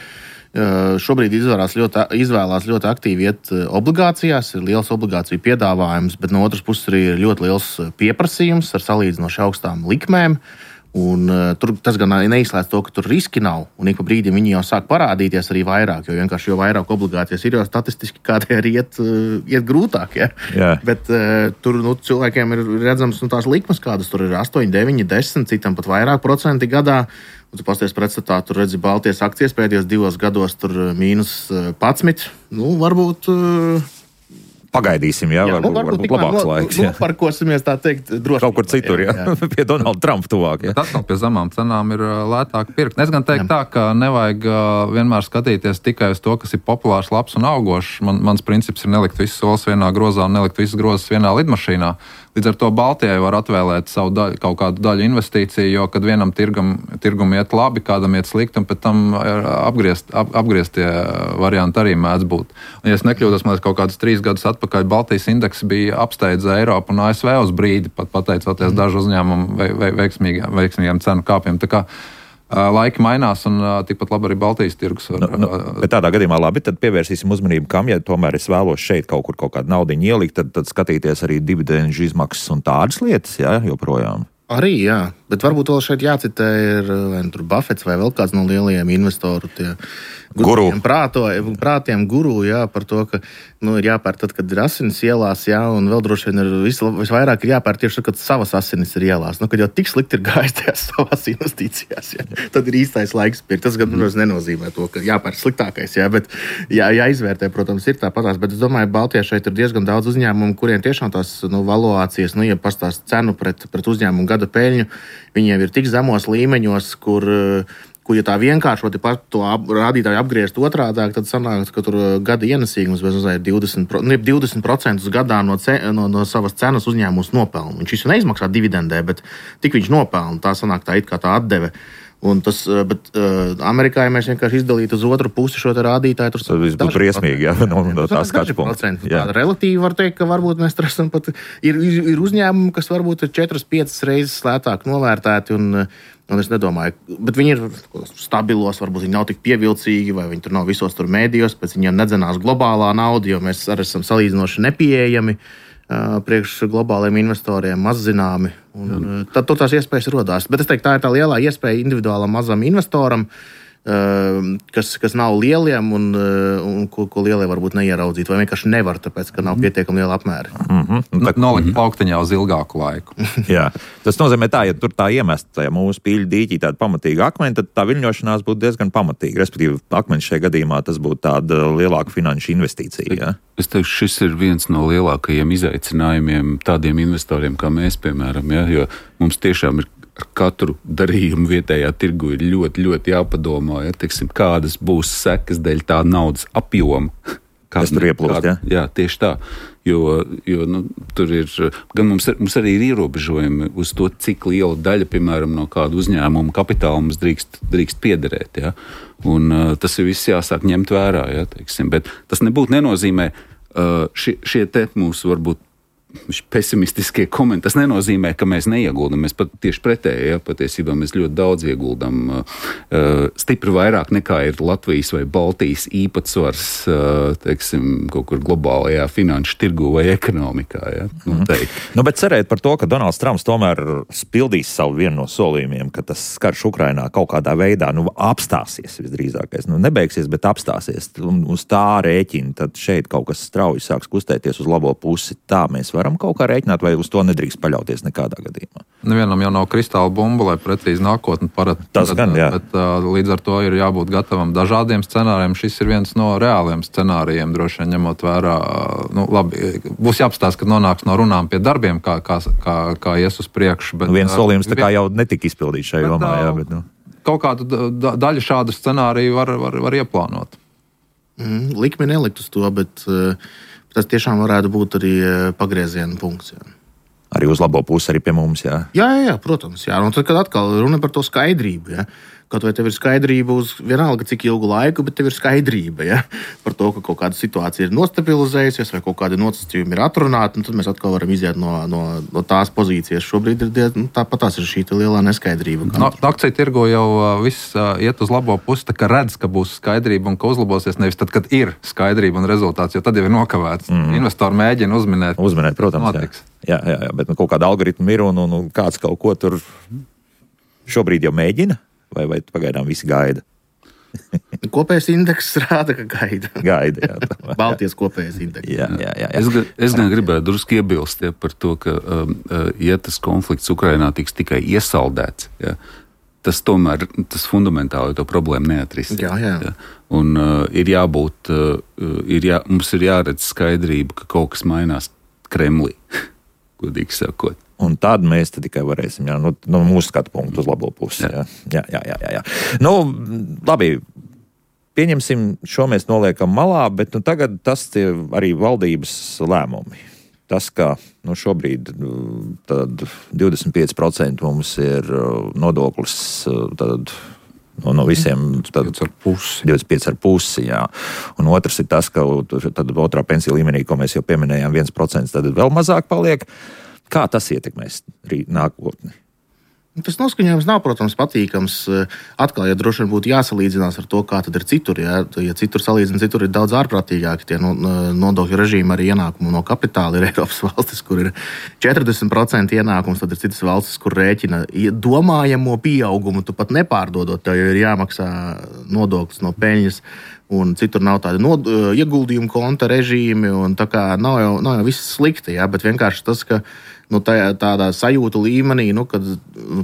šobrīd izvēlās ļoti aktīvi iet obligācijās. Ir liels obligāciju piedāvājums, bet no otras puses arī ir ļoti liels pieprasījums ar salīdzinoši augstām likmēm. Un, tas gan neizslēdz to, ka tur riski nav. Un ik pa brīdim viņi jau sāk parādīties arī vairāk. Jo vairāk obligācijas ir, jo statistiski kādai arī iet grūtāk. Ja? Yeah. Bet tur cilvēkiem ir redzams tās likmes, kādas tur ir 8, 9, 10, citam pat vairāk procenti gadā. Un tu pasties pretstatā, tur redzi Baltijas akcijas pēdējos 2 gados, tur -11. Varbūt. Pagaidīsim, varbūt labāks laiks. Noparkosimies, tā teikt, droši. Kaut kur citur, pie Donalda Trumpa tuvāk. Atkal pie zemām cenām ir lētāk pirkt. Es gan teiktu tā, ka nevajag vienmēr skatīties tikai uz to, kas ir populārs, labs un augošs. Mans princips ir nelikt visus solis vienā grozā un nelikt visas grozas vienā lidmašīnā. Līdz ar to Baltijai var atvēlēt savu kaut kādu daļu investīciju, jo kad vienam tirgum iet labi, kādam iet slikti, un pēc tam apgrieztie varianti arī mēdz būt. Un, ja es nekļūdos, man kaut kādus 3 gadus atpakaļ Baltijas indeks bija apsteidza Eiropu un ASV uz brīdi, pat pateicoties dažu uzņēmumu veiksmīgiem cenu kāpiem. Tā kā laiki mainās, un tikpat labi arī Baltijas tirgus. Bet tādā gadījumā labi, tad pievērsīsim uzmanību, kam, ja tomēr es vēlos šeit kaut kādu naudiņu ielikt, tad skatīties arī dividendžu izmaksas un tādas lietas, joprojām. Arī, jā, bet varbūt vēl šeit jācitē ir Buffets vai vēl kāds no lielajiem investoru prātiem guru, par to, ka ir jāpēr tad, kad ir asinis ielās, un vēl droši vien ir visvairāk ir jāpēr tieši tad, kad savas asinis ir ielās. Kad jau tik slikti ir gājis tajās savās investīcijās, tad ir īstais laiks pirkt. Tas gan nenozīmē to, ka jāpēr sliktākais, bet jāizvērtē, protams, ir tāpatās. Bet es domāju, Baltijā šeit ir diezgan daudz uzņēmumu, kuriem tiešām tās valuācijas, ja pastāst cenu pret uzņēmumu gada peļņu, viņiem ir tik zemos līmeņos, kur ja tā vienkāršoti par to rādītāju apgriezt otrādāk, tad sanāk, ka tur gada ienesīgums ir 20% gadā no savas cenas uzņēmums nopelna. Viņš visu neizmaksā dividendē, bet tik viņš nopelna. Tā sanāk tā it kā tā atdeve. Bet Amerikā, ja mēs vienkārši izdalītu uz otru pusi šo rādītāju, tas būtu briesmīgi, no tā skatu punkta. Relatīvi var teikt, ka varbūt mēs esam pat ir uzņēmumi, kas varbūt ir 4-5 reizes lētāk novērtēti, un es nedomāju, bet viņi ir stabilos, varbūt viņi nav tik pievilcīgi, vai viņi tur nav visos tur mēdījos, pēc viņiem nedzenās globālā nauda, jo mēs arī esam salīdzinoši nepieejami priekš globāliem investoriem, maz zināmi. Tad tās iespējas rodās. Bet es teiktu, tā ir tā lielā iespēja individuālam mazam investoram, kas nav lieliem un ko lielie varbūt neieraudzīt, vai vienkārši nevar, tāpēc, ka nav pietiekami liela apmēra. Nolikt plauktiņā uz ilgāku laiku. Jā, tas nozīmē tā, ja tur tā iemesta, ja mūsu pīļu dīķī tāda pamatīga akmeņa, tad tā viļņošanās būtu diezgan pamatīga. Respektīvi, akmeņš šajā gadījumā tas būtu tāda lielāka finanšu investīcija. Ja? Es teiktu, šis ir viens no lielākajiem izaicinājumiem tādiem investoriem kā mēs, piemēram, jo mums tiešām ir ar katru darījumu vietējā tirgu ir ļoti, ļoti jāpadomā, kādas būs sekas dēļ tā naudas apjoma. Kas tur ieplūst, Jā, tieši tā. Jo tur ir, gan mums arī ir ierobežojumi uz to, cik liela daļa, piemēram, no kāda uzņēmuma kapitāla mums drīkst piederēt. Ja? Un tas ir viss jāsāk ņemt vērā. Ja, bet tas nebūtu nenozīmē šie te mūsu varbūt pesimistiskie komentāri. Tas nenozīmē, ka mēs neieguldam. Mēs pat tieši pretēji, patiesībā mēs ļoti daudz ieguldam. Stipri vairāk nekā ir Latvijas vai Baltijas īpatsvars, kaut kur globālajā finanšu tirgu vai ekonomikā. Ja? Bet cerēt par to, ka Donalds Trumps tomēr spildīs savu vienu no solījumiem, ka tas karš Ukrainā kaut kādā veidā apstāsies visdrīzākais. Nebeigsies, bet apstāsies. Un uz tā rēķina, tad šeit kaut kas strauji sāks kustēties uz labo pusi. Tā mēs varam kaut kā rēķināt, vai uz to nedrīkst paļauties nekādā gadījumā? Nevienam jau nav kristāla bumba, lai precīzi nākotni parāda. Tas gan, jā. Bet līdz ar to ir jābūt gatavam dažādiem scenārijiem. Šis ir viens no reāliem scenārijiem, droši vien ņemot vērā. Būs jāapstāsta, kad nonāks no runām pie darbiem, kā ies uz priekšu. Viens solījums tā kā jau netika izpildīts šajā jomā, jā. Bet, Kaut kādu daļu šādu scenāriju var ieplānot. Likmi nelikt uz to, bet tas tiešām varētu būt arī pagrieziena punkts. Jā. Arī uz labo pusi, arī pie mums, jā? Jā, protams. Jā. Un tad, kad atkal runa par to skaidrību, jā. Kaut vai tev ir skaidrība uz vienalga cik ilgu laiku, bet tev ir skaidrība, ja? Par to, ka kaut kāda situācija ir nostabilizējusies vai kaut kādi nosacījumi ir atrunāti, tad mēs atkal varam iziet no tās pozīcijas. Šobrīd ir tāpatās ir šī lielā neskaidrība. Akciju tirgo jau viss iet uz labo pusi, tā kā redz, ka būs skaidrība un ka uzlabosies nevis tad, kad ir skaidrība un rezultāts, jo tad jau ir nokavēts. Investori mēģina uzminēt, protams, jā, bet kaut kāda algoritma ir un kāds kaut ko tur šobrīd jau mēģina, vai pagaidām visi gaida? Kopējais indeks rāda, ka gaida. Jā. Baltijas kopējais indeks. Jā. Es gan gribētu drusku iebilst par to, ka ja tas konflikts Ukrainā tiks tikai iesaldēts, tas tomēr fundamentāli to problēmu neatrisinās. Jā. Un ir jābūt, mums ir jāredz skaidrība, ka kaut kas mainās Kremlī, godīgi sakot. Un tad mēs tikai varēsim, no mūsu skatu punktu uz labo pusi. Jā. Labi, pieņemsim, šo mēs noliekam malā, bet tagad tas arī valdības lēmumi. Tas, ka šobrīd 25% mums ir nodoklis no visiem 25,5%. Jā. Un otrs ir tas, ka tad otrā pensiju līmenī, ko mēs jau pieminējām, 1%, tad vēl mazāk paliek. Kā tas ietekmēs nākotni? Tas noskaņojums nav, protams, patīkams. Atkal, ja droši vien būtu jāsalīdzinās ar to, kā tad ir citur. Ja citur salīdzina, citur ir daudz ārprātīgāki tie nodokļu režīmi, arī ienākumu no kapitāla. Ir Eiropas valstis, kur ir 40% ienākums, tad ir citas valstis, kur rēķina domājamo pieaugumu, tu pat nepārdodot, tev jau ir jāmaksā nodoklis no peļņas. Un citur nav tādi ieguldījumu konta režīmi, un tā kā nav jau viss slikti, bet vienkārši tas, ka tādā sajūtu līmenī, kad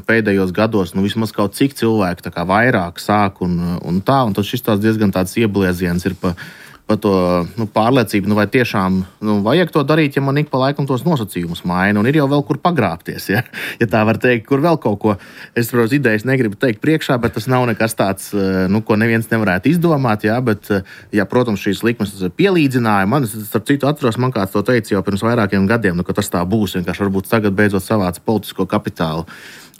pēdējos gados vismaz kaut cik cilvēki vairāk sāk un tad šis diezgan tāds ieblieziens ir pa to pārliecību, vai tiešām vajag to darīt, ja man ik pa laikam tos nosacījumus maina, un ir jau vēl kur pagrābties, ja tā var teikt, kur vēl kaut ko. Es, protams, idejas negribu teikt priekšā, bet tas nav nekas tāds, ko neviens nevarētu izdomāt, bet, protams, šīs likmes pielīdzināja. Man, starp citu, atceros, man kāds to teica jau pirms vairākiem gadiem, ka tas tā būs, vienkārši varbūt tagad beidzot savāc politisko kapitālu.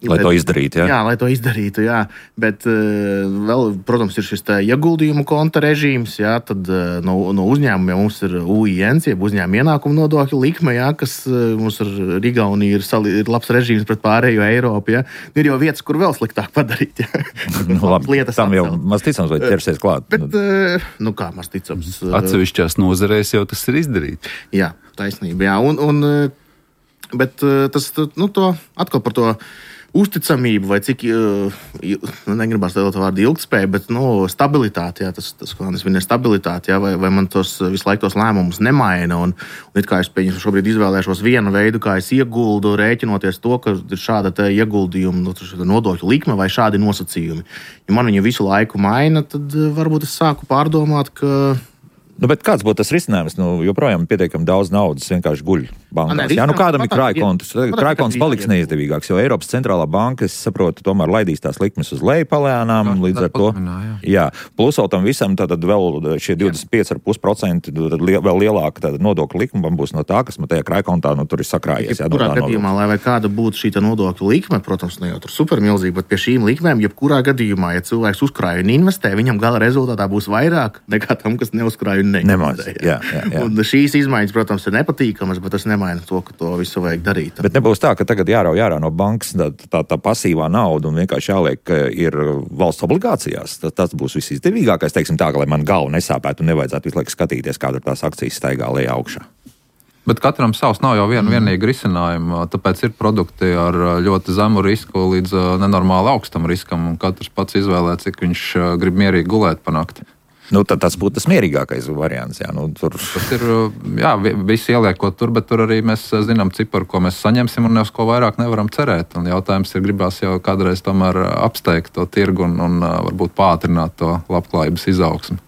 Lai to izdarītu, jā. Jā, lai to izdarītu, jā. Bet vēl, protams, ir šis ieguldījumu konta režīms, jā, tad no uzņēmumiem mums ir UINs, jeb uzņēmuma ienākuma nodokļa likme, jā, kas mums ar Igauniju ir labs režīms pret pārējo Eiropu, jā. Ir jau vietas, kur vēl sliktāk padarīt, jā. Labi, tam jau maz ticams, vai ķersies klāt. Bet, kā maz ticams? Atsevišķās nozarēs jau tas ir izdarīts. Jā, taisnība, jā. Bet tas, to atkal par to uzticamību, vai cik, negribās teikt vārdu ilgtspēja, bet stabilitāte, jā, tas ko es minēju, stabilitāte, jā, vai man visu laiku tos lēmumus nemaina, un it kā es šobrīd izvēlēšos vienu veidu, kā es ieguldu, rēķinoties to, ka ir šāda ieguldījuma nodokļu likme vai šādi nosacījumi. Ja man viņu visu laiku maina, tad varbūt es sāku pārdomāt, ka bet kāds būtu tas risinājums? Joprojām pietiekami daudz naudas vienkārši guļ bankās. Kādam ir krājkonts? Krājkonts paliks neizdevīgāks, jo Eiropas centrālā banka, es saprotu, tomēr laidīs tās likmes uz leju palēnām, līdz ar to. Jā, plus vēl tam visam, tad vēl šie 25,5% vēl lielāka nodokļu likme būs no tā, kas man tajā krājkontā tur ir sakrājies. Jebkurā gadījumā, lai vai kāda būtu šī nodokļu likme, protams, ne jau tur supermilzīga, bet pie šīm likmēm, jebkurā gadījumā, ja cilvēks uzkrāja un investē, viņam gala rezultātā būs vairāk nekā tam, kas neuzkrāja. Nemaz, jā. Un šīs izmaiņas, protams, ir nepatīkamas, bet tas nemaina to, ka to visu vajag darīt. Bet nebūs tā, ka tagad jārauj no bankas tā pasīvā nauda un vienkārši jāliek, ka ir valsts obligācijās. Tas būs visizdevīgākais, teiksim tā, ka lai man galva nesāpētu un nevajadzētu visu laiku skatīties, kāda ir tās akcijas staigā lejā augšā. Bet katram savs nav jau vienīgi risinājumi, tāpēc ir produkti ar ļoti zemu risku līdz nenormāli augstam riskam, un katrs pats izvēlē, cik viņš grib mierīgi gulēt pa nakti. Tad tas būtu tas mierīgākais variants. Jā, Tas ir, visi ieliekot tur, bet tur arī mēs zinām ciparu, ko mēs saņemsim, un ne uz ko vairāk nevaram cerēt. Un jautājums ir, gribās jau kādreiz tomēr apsteigt to tirgu un varbūt pātrināt to labklājības izaugsmi.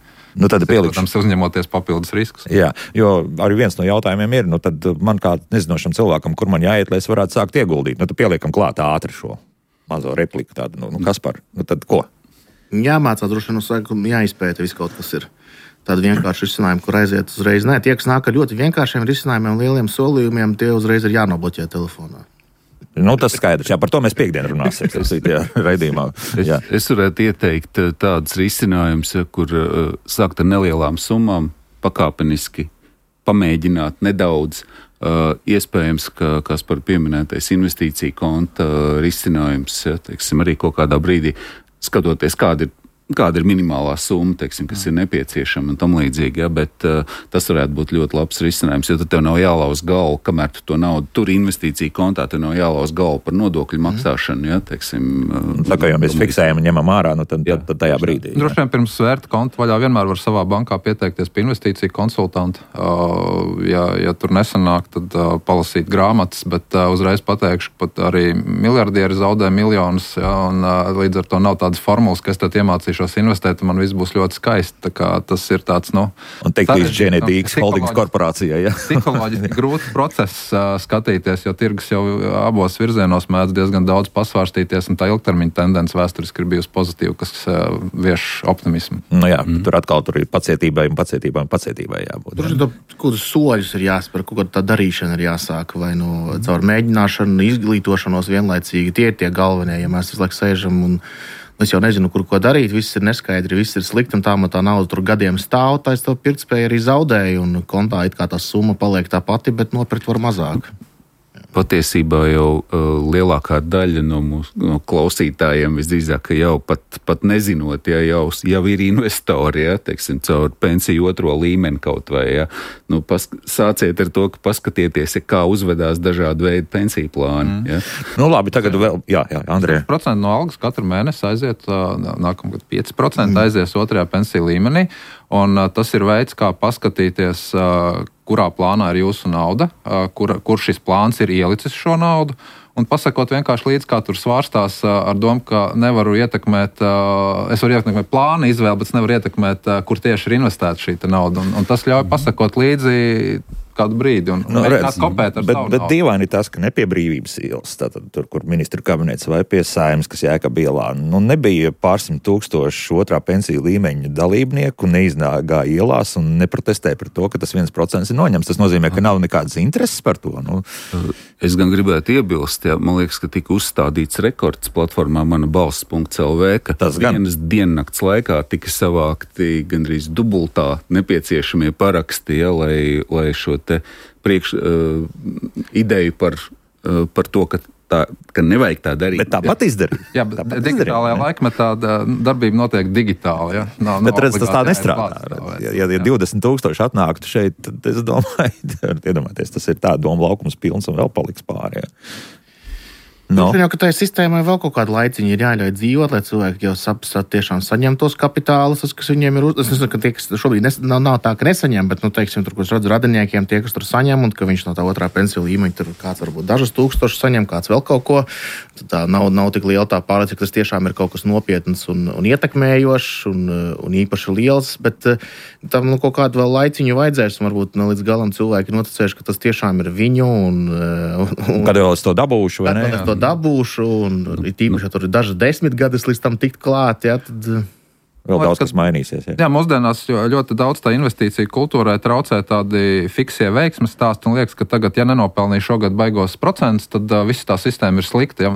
Tad protams, uzņemoties papildus riskus. Jā, jo arī viens no jautājumiem ir, tad man kā nezinošam cilvēkam, kur man jāiet, lai es varētu sākt ieguldīt. Tad pieliekam klāt ātri šo mazo repliku tādu, kas par, tad ko? Jāmācās droši vien, jāizpēta viss kaut kas ir. Tāda vienkārša risinājuma, kur aiziet uzreiz. Tie, kas nāk ar ļoti vienkāršiem risinājumiem, lieliem solījumiem, tie uzreiz ir jānobloķē telefonā. Tas skaidrs, par to mēs piekdien runāsim, raidījumā. Es varētu ieteikt tādus risinājumus, kur sākt ar nelielām summām, pakāpeniski pamēģināt nedaudz. Iespējams, ka Kaspar pieminētais investīcija konta risinājums, teiksim, arī kaut kādā brīdī skatoties, kāda ir minimālā summa, teiksim, kas ir nepieciešama un tam līdzīgi, bet tas varētu būt ļoti labs risinājums, jo tad tev nav jālauz galvu, kamēr tu to naudu tur investīcija kontā, tev nav jālauz galvu par nodokļu maksāšanu, teiksim. Tā kā jau mēs fiksējam un ņemam ārā, tad tajā brīdī. Droši vien pirms svērt kontu vaļā vienmēr var savā bankā pieteikties pie investīciju konsultanta. Ja tur nesanāk, tad palasīt grāmatas, bet uzreiz pateikšu, ka pat arī miljardieri zaudē miljonus, un līdz ar to nav tādas formulas, kas tad iemācīšu investēt, un man viss būs ļoti skaisti. Tā kā tas ir tāds, Un teikt līdz ģenētīgas holdings korporācijai, Psiholoģiski grūts process skatīties, jo tirgus jau abos virzienos mēdz diezgan daudz pasvārstīties, un tā ilgtermiņa tendence vēsturiski ir bijusi pozitīva, kas vieš optimismu. Tur atkal ir pacietībai jābūt. Tur kādus soļus ir jāspēr, kaut kā tā darīšana ir jāsāk, vai caur mēģināšanu, izglītošanos vienlaicīgi. Tie ir tie galvenie, ja mēs visu laiku sēžam un es jau nezinu, ko darīt, viss ir neskaidri, viss ir slikti, un tā nauda tur gadiem stāv, tā es to pirktspēju arī zaudēju, un kontā it kā tā summa paliek tā pati, bet nopirkt var mazāk. Patiesībā jau lielākā daļa no mūsu klausītājiem visdrīzāk jau pat nezinot, jau ir investori, teiksim, caur pensiju otro līmeni kaut vai. Sāciet ar to, ka paskatieties, kā uzvedās dažādu veidu pensiju plāni. Labi, tagad vēl, Andrej. 5% no algas katru mēnesi aiziet, nākamgad 5% aizies otrajā pensiju līmenī, un tas ir veids, kā paskatīties, kurā plānā ir jūsu nauda, kur šis plāns ir ielicis šo naudu, un pasakot vienkārši līdz, kā tur svārstās ar domu, ka nevaru ietekmēt, es varu ietekmēt plāna izvēli, bet es nevaru ietekmēt, kur tieši ir investēta šī nauda, un tas ļauj pasakot līdzi kādu brīdi un kopēt ar savu naudu. Bet dīvaini ir tas, ka ne pie Brīvības ielas, tātad tur, kur ministru kabinets vai pie Saeimas, kas Jēkab ielā, nebija pārsimt tūkstoši otrā pensiju līmeņa dalībnieku, neiznāgā ielās un neprotestēja par to, ka tas 1% ir noņemts. Tas nozīmē, ka nav nekādas intereses par to. Es gan gribētu iebilst, man liekas, ka tika uzstādīts rekords platformā manabalss.lv, ka vienas diennakts laikā tika savākti gandrīz dubultā nepieciešamie paraksti, lai šo te ideju par to, ka nevajag tā darīt. Bet tāpat izdarīt. Jā, bet digitālajā laikmetā darbība notiek digitāli. Bet redz, tas tā nestrādā. Ja 20,000 atnāktu šeit, tad es domāju, iedomājieties, tas ir tā doma laukums pilns un vēl paliks pāri. Jau, ka tai sistēmai vēl kaut kādu laiciņu ir jāļauj dzīvot, lai cilvēki jau tiešām saņem tos kapitālus, kas viņiem ir. Es nezinu, ka tie, kas šobrīd nav tā, ka nesaņem, bet, teiksim, tur, ko es redzu radiniekiem, tie, kas tur saņem, un ka viņš no tā otrā pensiju līmeņa tur kāds varbūt dažus tūkstošus saņem, kāds vēl kaut ko. Tad tā nav tik liela tā pārliecība, ka tas tiešām ir kaut kas nopietns un ietekmējošs un īpaši liels, bet tam kaut kādu vēl laiciņu vajadzēs, un varbūt līdz galam cilvēki ir noticējuši, ka tas tiešām ir viņu. Kad vēl es to dabūšu, vai ne? Dabūšu, un tīpaši, ja tur ir dažas 10 gadus līdz tam tikt klāt, tad vēl daudz kas mainīsies. Jā, mūsdienās ļoti daudz tā investīcija kultūrai traucē tādi fiksie veiksmes stāsti, un liekas, ka tagad, ja nenopelnīja šogad baigos procentus, tad visa tā sistēma ir slikta.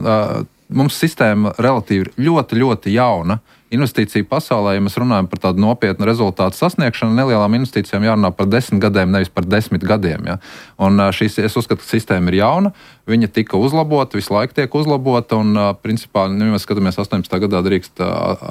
Mums sistēma relatīvi ļoti, ļoti jauna. Investīciju pasaulē, ja mēs runājam par tādu nopietnu rezultātu sasniegšanu, nelielām investīcijām jārunā par 10 gadiem, nevis par 10 gadiem. Ja? Un es uzskatu, ka sistēma ir jauna, viņa tika uzlabota, visu laiku tiek uzlabota, un principā, ja mēs skatāmies 18. gadā drīkst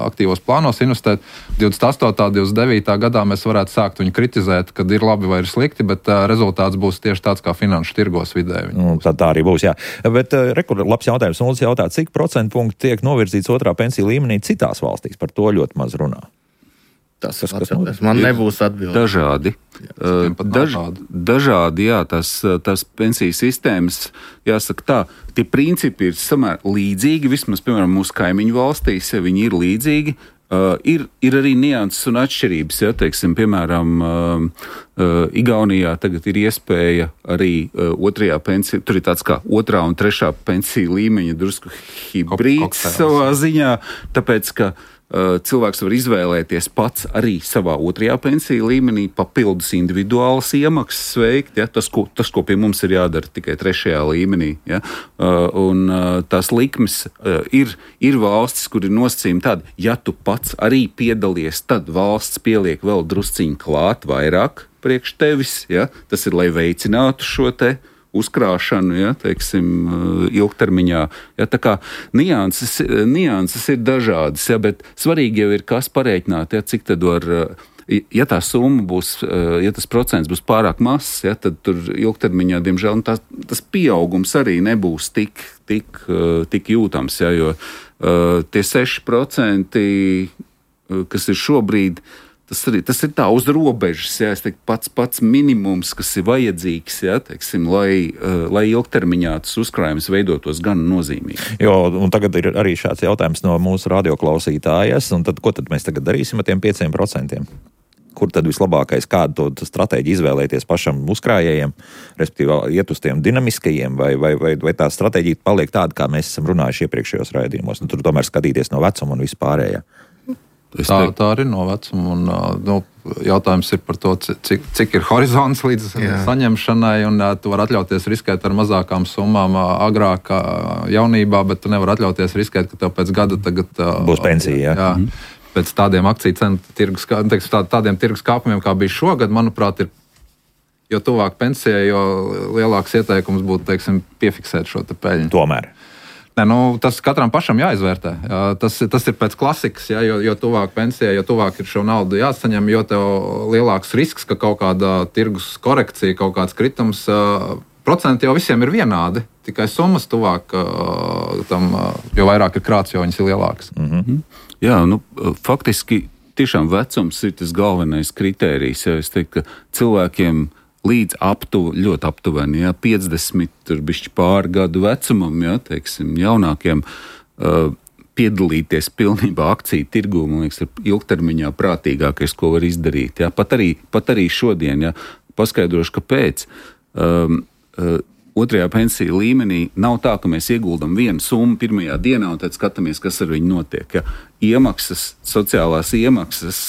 aktīvos plānos investēt, 28. 29. gadā mēs varētu sākt viņu kritizēt, kad ir labi vai ir slikti, bet rezultāts būs tieši tāds kā finanšu tirgos vidēji. Tā arī būs, jā. Bet labs jautājums, un jautā, cik procentpunkti tiek novirzīts otrā pensiju līmenī citās valstīs? Par to ļoti maz runā. Man nebūs atbildi. Dažādi. Dažādi, jā, tās pensiju sistēmas, jāsaka tā, tie principi ir samērā līdzīgi, vismaz, piemēram, mūsu kaimiņu valstīs, ja viņi ir līdzīgi. Ir arī nianses un atšķirības, ja, teiksim, piemēram, Igaunijā tagad ir iespēja arī otrajā pensiju, tur ir tāds kā otrā un trešā pensiju līmeņa drusku hibrīds savā ziņā, tāpēc, ka cilvēks var izvēlēties pats arī savā otrajā pensiju līmenī papildus individuālas iemaksas veikt. Ja? Tas, ko pie mums ir jādara tikai trešajā līmenī. Ja? Un tās likmes ir valstis, kur ir nosacījumi tādi, ja tu pats arī piedalies, tad valsts pieliek vēl drusciņu klāt vairāk priekš tevis. Ja? Tas ir, lai veicinātu šo te uzkrāšanu, ja, teiksim, ilgtermiņā. Ja, tā kā nianses ir dažādas, ja, bet svarīgi jau ir, kas parēķināt, ja, cik tad var, ja tā summa būs, ja tas procents būs pārāk mazs, ja, tad tur ilgtermiņā, diemžēl, tas pieaugums arī nebūs tik jūtams, ja, jo tie 6%, kas ir šobrīd, tas ir tā uz robežas, ja, es teiktu, pats minimums, kas ir vajadzīgs, ja, teiksim, lai ilgtermiņā tas uzkrājums veidotos gan nozīmīgi. Jo, un tagad ir arī šāds jautājums no mūsu radioklausītājas, un tad, ko tad mēs tagad darīsim ar tiem 5%? Kur tad vislabākais, kādu to stratēģiju izvēlēties pašam uzkrājējiem, respektīvi iet uz tiem dinamiskajiem, vai tā stratēģija paliek tāda, kā mēs esam runājuši iepriekšējos raidījumos, un tur tomēr skatīties no vecuma un vispārējā? Tā arī no vecuma, un jautājums ir par to, cik ir horizonts līdz saņemšanai, un tu vari atļauties riskēt ar mazākām summām agrāk jaunībā, bet tu nevar atļauties riskēt, ka tev pēc gada tagad būs pensija. Jā. Pēc tādiem akciju cenu tādiem tirgus kāpumiem, kā bija šogad, manuprāt, ir jo tuvāk pensijai, jo lielāks ieteikums būtu, teiksim, piefiksēt šo te peļņu. Tomēr. Ne, tas katram pašam jāizvērtē. Tas ir pēc klasikas, ja, jo tuvāk pensijai, jo tuvāk ir šo naudu jāsaņem, jo tev lielāks risks, ka kaut kāda tirgus korekcija, kaut kāds kritums, procenti jau visiem ir vienādi, tikai summas tuvāk tam, jo vairāk ir krāts, jo viņas ir lielākas. Mm-hmm. Jā, faktiski tiešām vecums ir tas galvenais kritērijs. Ja, es teiktu, ka cilvēkiem līdz ļoti aptuveni, ja, 50, tur bišķi pāri gadu vecumam, ja, teiksim, jaunākiem, piedalīties pilnībā akciju tirgū, man liekas, ir ilgtermiņā prātīgākais, ko var izdarīt. Ja. Pat arī šodien, ja, paskaidrošu, kāpēc. Otrajā pensiju līmenī nav tā, ka mēs ieguldam vienu summu pirmajā dienā un tad skatāmies, kas ar viņu notiek. Ja. Iemaksas, sociālās iemaksas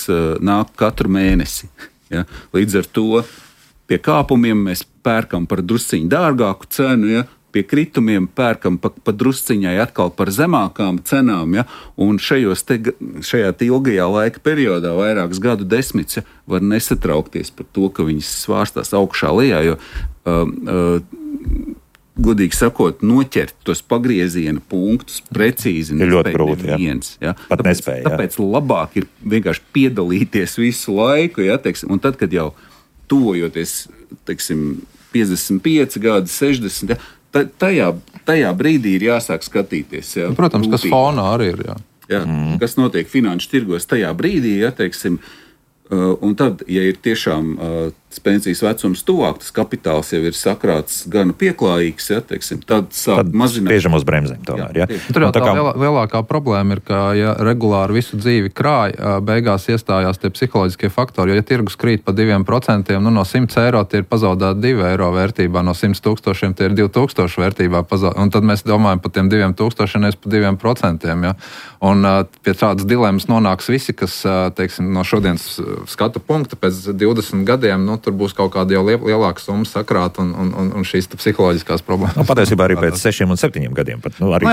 nāk katru mēnesi. Ja. Līdz ar to pie kāpumiem mēs pērkam par drusciņu dārgāku cenu, ja? Pie kritumiem pērkam pa drusciņai atkal par zemākām cenām, ja? Un šajā ilgajā laika periodā, vairākas gadu desmitus, ja, var nesatraukties par to, ka viņas svārstās augšā lejā, jo godīgi sakot, noķert tos pagrieziena punktus precīzi ir ļoti grūti. Neviens, ja? Pat nespēja. Tāpēc labāk ir vienkārši piedalīties visu laiku, ja, teiksim, un tad, kad jau tuvojoties, teiksim, 55 gadi, 60, ja, tajā brīdī ir jāsāk skatīties. Ja, protams, kas fonā arī ir. Jā, kas notiek finanšu tirgos tajā brīdī, ja, teiksim, un tad, ja ir tiešām pensijas vecums tuvāk, tas kapitāls jau ir sakrāts gan pieklājīgs, ja, teiksim, tad sāk mazināt. Spiežam uz bremzēm tomēr, ja. Tur jau tā lielākā problēma ir, ka ja regulāri visu dzīvi krāj, beigās iestājās tie psiholoģiskie faktori, jo ja tirgus krīt pa 2%, no 100 eiro tie ir pazaudēti 2 eiro vērtībā, no 100 tūkstošiem tie ir 2000 vērtībā pazaudēti, un tad mēs domājam par tiem 2000, nevis par 2%, ja. Un pie tādas dilemmas nonāks visi, kas, teiksim, no šodienas skatu punkta pēc 20 gadiem, tur būs kaut kāda jau lielāka summa sakrāt un šīs psiholoģiskās problēmas. Patiesībā arī pēc 6 un 7 gadiem. Pat, arī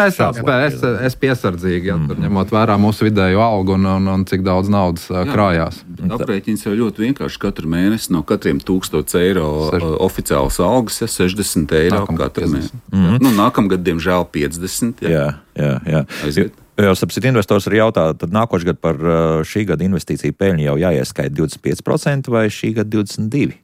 es piesardzīgi, ja, tur ņemot vērā mūsu vidējo algu un cik daudz naudas krājās. Aprēķins jau ļoti vienkārši katru mēnesi no katriem 1000 eiro oficiālas algas, ja, 60 eiro katru mēnesi. Nākamgad, diemžēl, 50. Jā. Aiziet. Jo, sapsit, investors arī jautā, tad nākošais gadu par šī gada investīciju peļņu jau jāieskaita 25% vai šī gada 22%?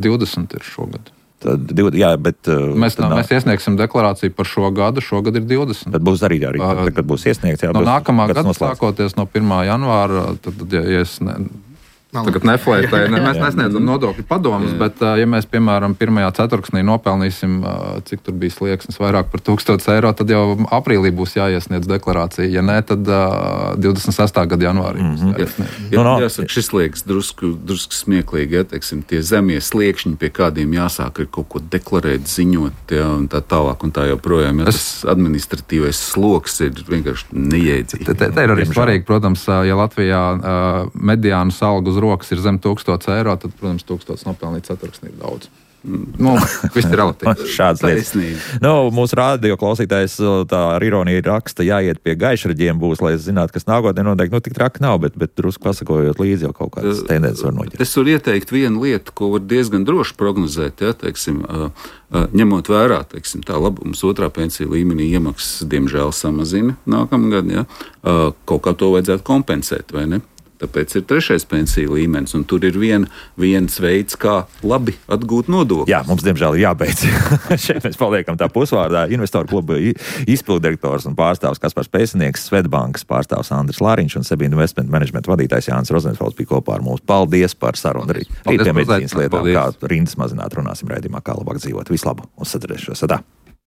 20% ir šogad. Tad, jā, bet... Mēs iesniegsim deklarāciju par šo gadu, šogad ir 20%. Tad būs arī kad būs iesniegts. Jā, no nākamā gada sākoties no 1. janvāra, tad, ja es Tagad neflētē, mēs nesniedzam nodokļu padomus, bet, ja mēs, piemēram, 1. ceturksnī nopelnīsim, cik tur bija slieksnis vairāk par 1000 eiro, tad jau aprīlī būs jāiesniedz deklarācija. Ja nē, tad 26. gada janvārī. Jāsaka, šis liekas drusku smieklīgi, ja, teiksim, tie zemie sliekšņi, pie kādiem jāsāk ir kaut ko deklarēt, ziņot, ja, un tā tālāk un tā joprojām. Ja, tas administratīvais sloks ir vienkārši neiedzīgs. Te ir arī svarīgi, protams, ja Latvijā mediānas algu uz rokas ir zem 1000 eiro, tad, protams, 1000 nopelnīt ceturksnī ir daudz. Viss ir relatīvi. Šāds lietas. Mūsu rādio klausītājs tā ar ironiju raksta, jāiet pie gaišraģiem būs, lai zinātu, kas nākotnē notiek. Tik traki nav, bet drusku pasakojot līdzi jau kaut kādas tendences var noķert. Es varu ieteikt vienu lietu, ko var diezgan droši prognozēt, ja, teiksim, ņemot vērā, teiksim, tā labums otrā pensiju līmenī iemaksas, diemžēl, samazina nākamgad, ja, kaut kā to vajadzētu kompensēt, vai ne? Tāpēc ir 3. pensiju līmenis, un tur ir viens veids, kā labi atgūt nodokļus. Jā, mums, diemžēl, ir jābeidz. Šeit mēs paliekam tā pusvārdā. Investoru kluba izpilddirektors un pārstāvs Kaspars Pēcinieks, Svetbankas pārstāvs Andris Lāriņš un Sebīna Investment Management vadītājs Jānis Rozenfelds bija kopā ar mums. Paldies par sarunu. Rīt pie medicīnas lietām, kā rindas mazināt, runāsim raidījumā, kā labāk dzīvot. Vislabāk, uz sadzirdēšanos.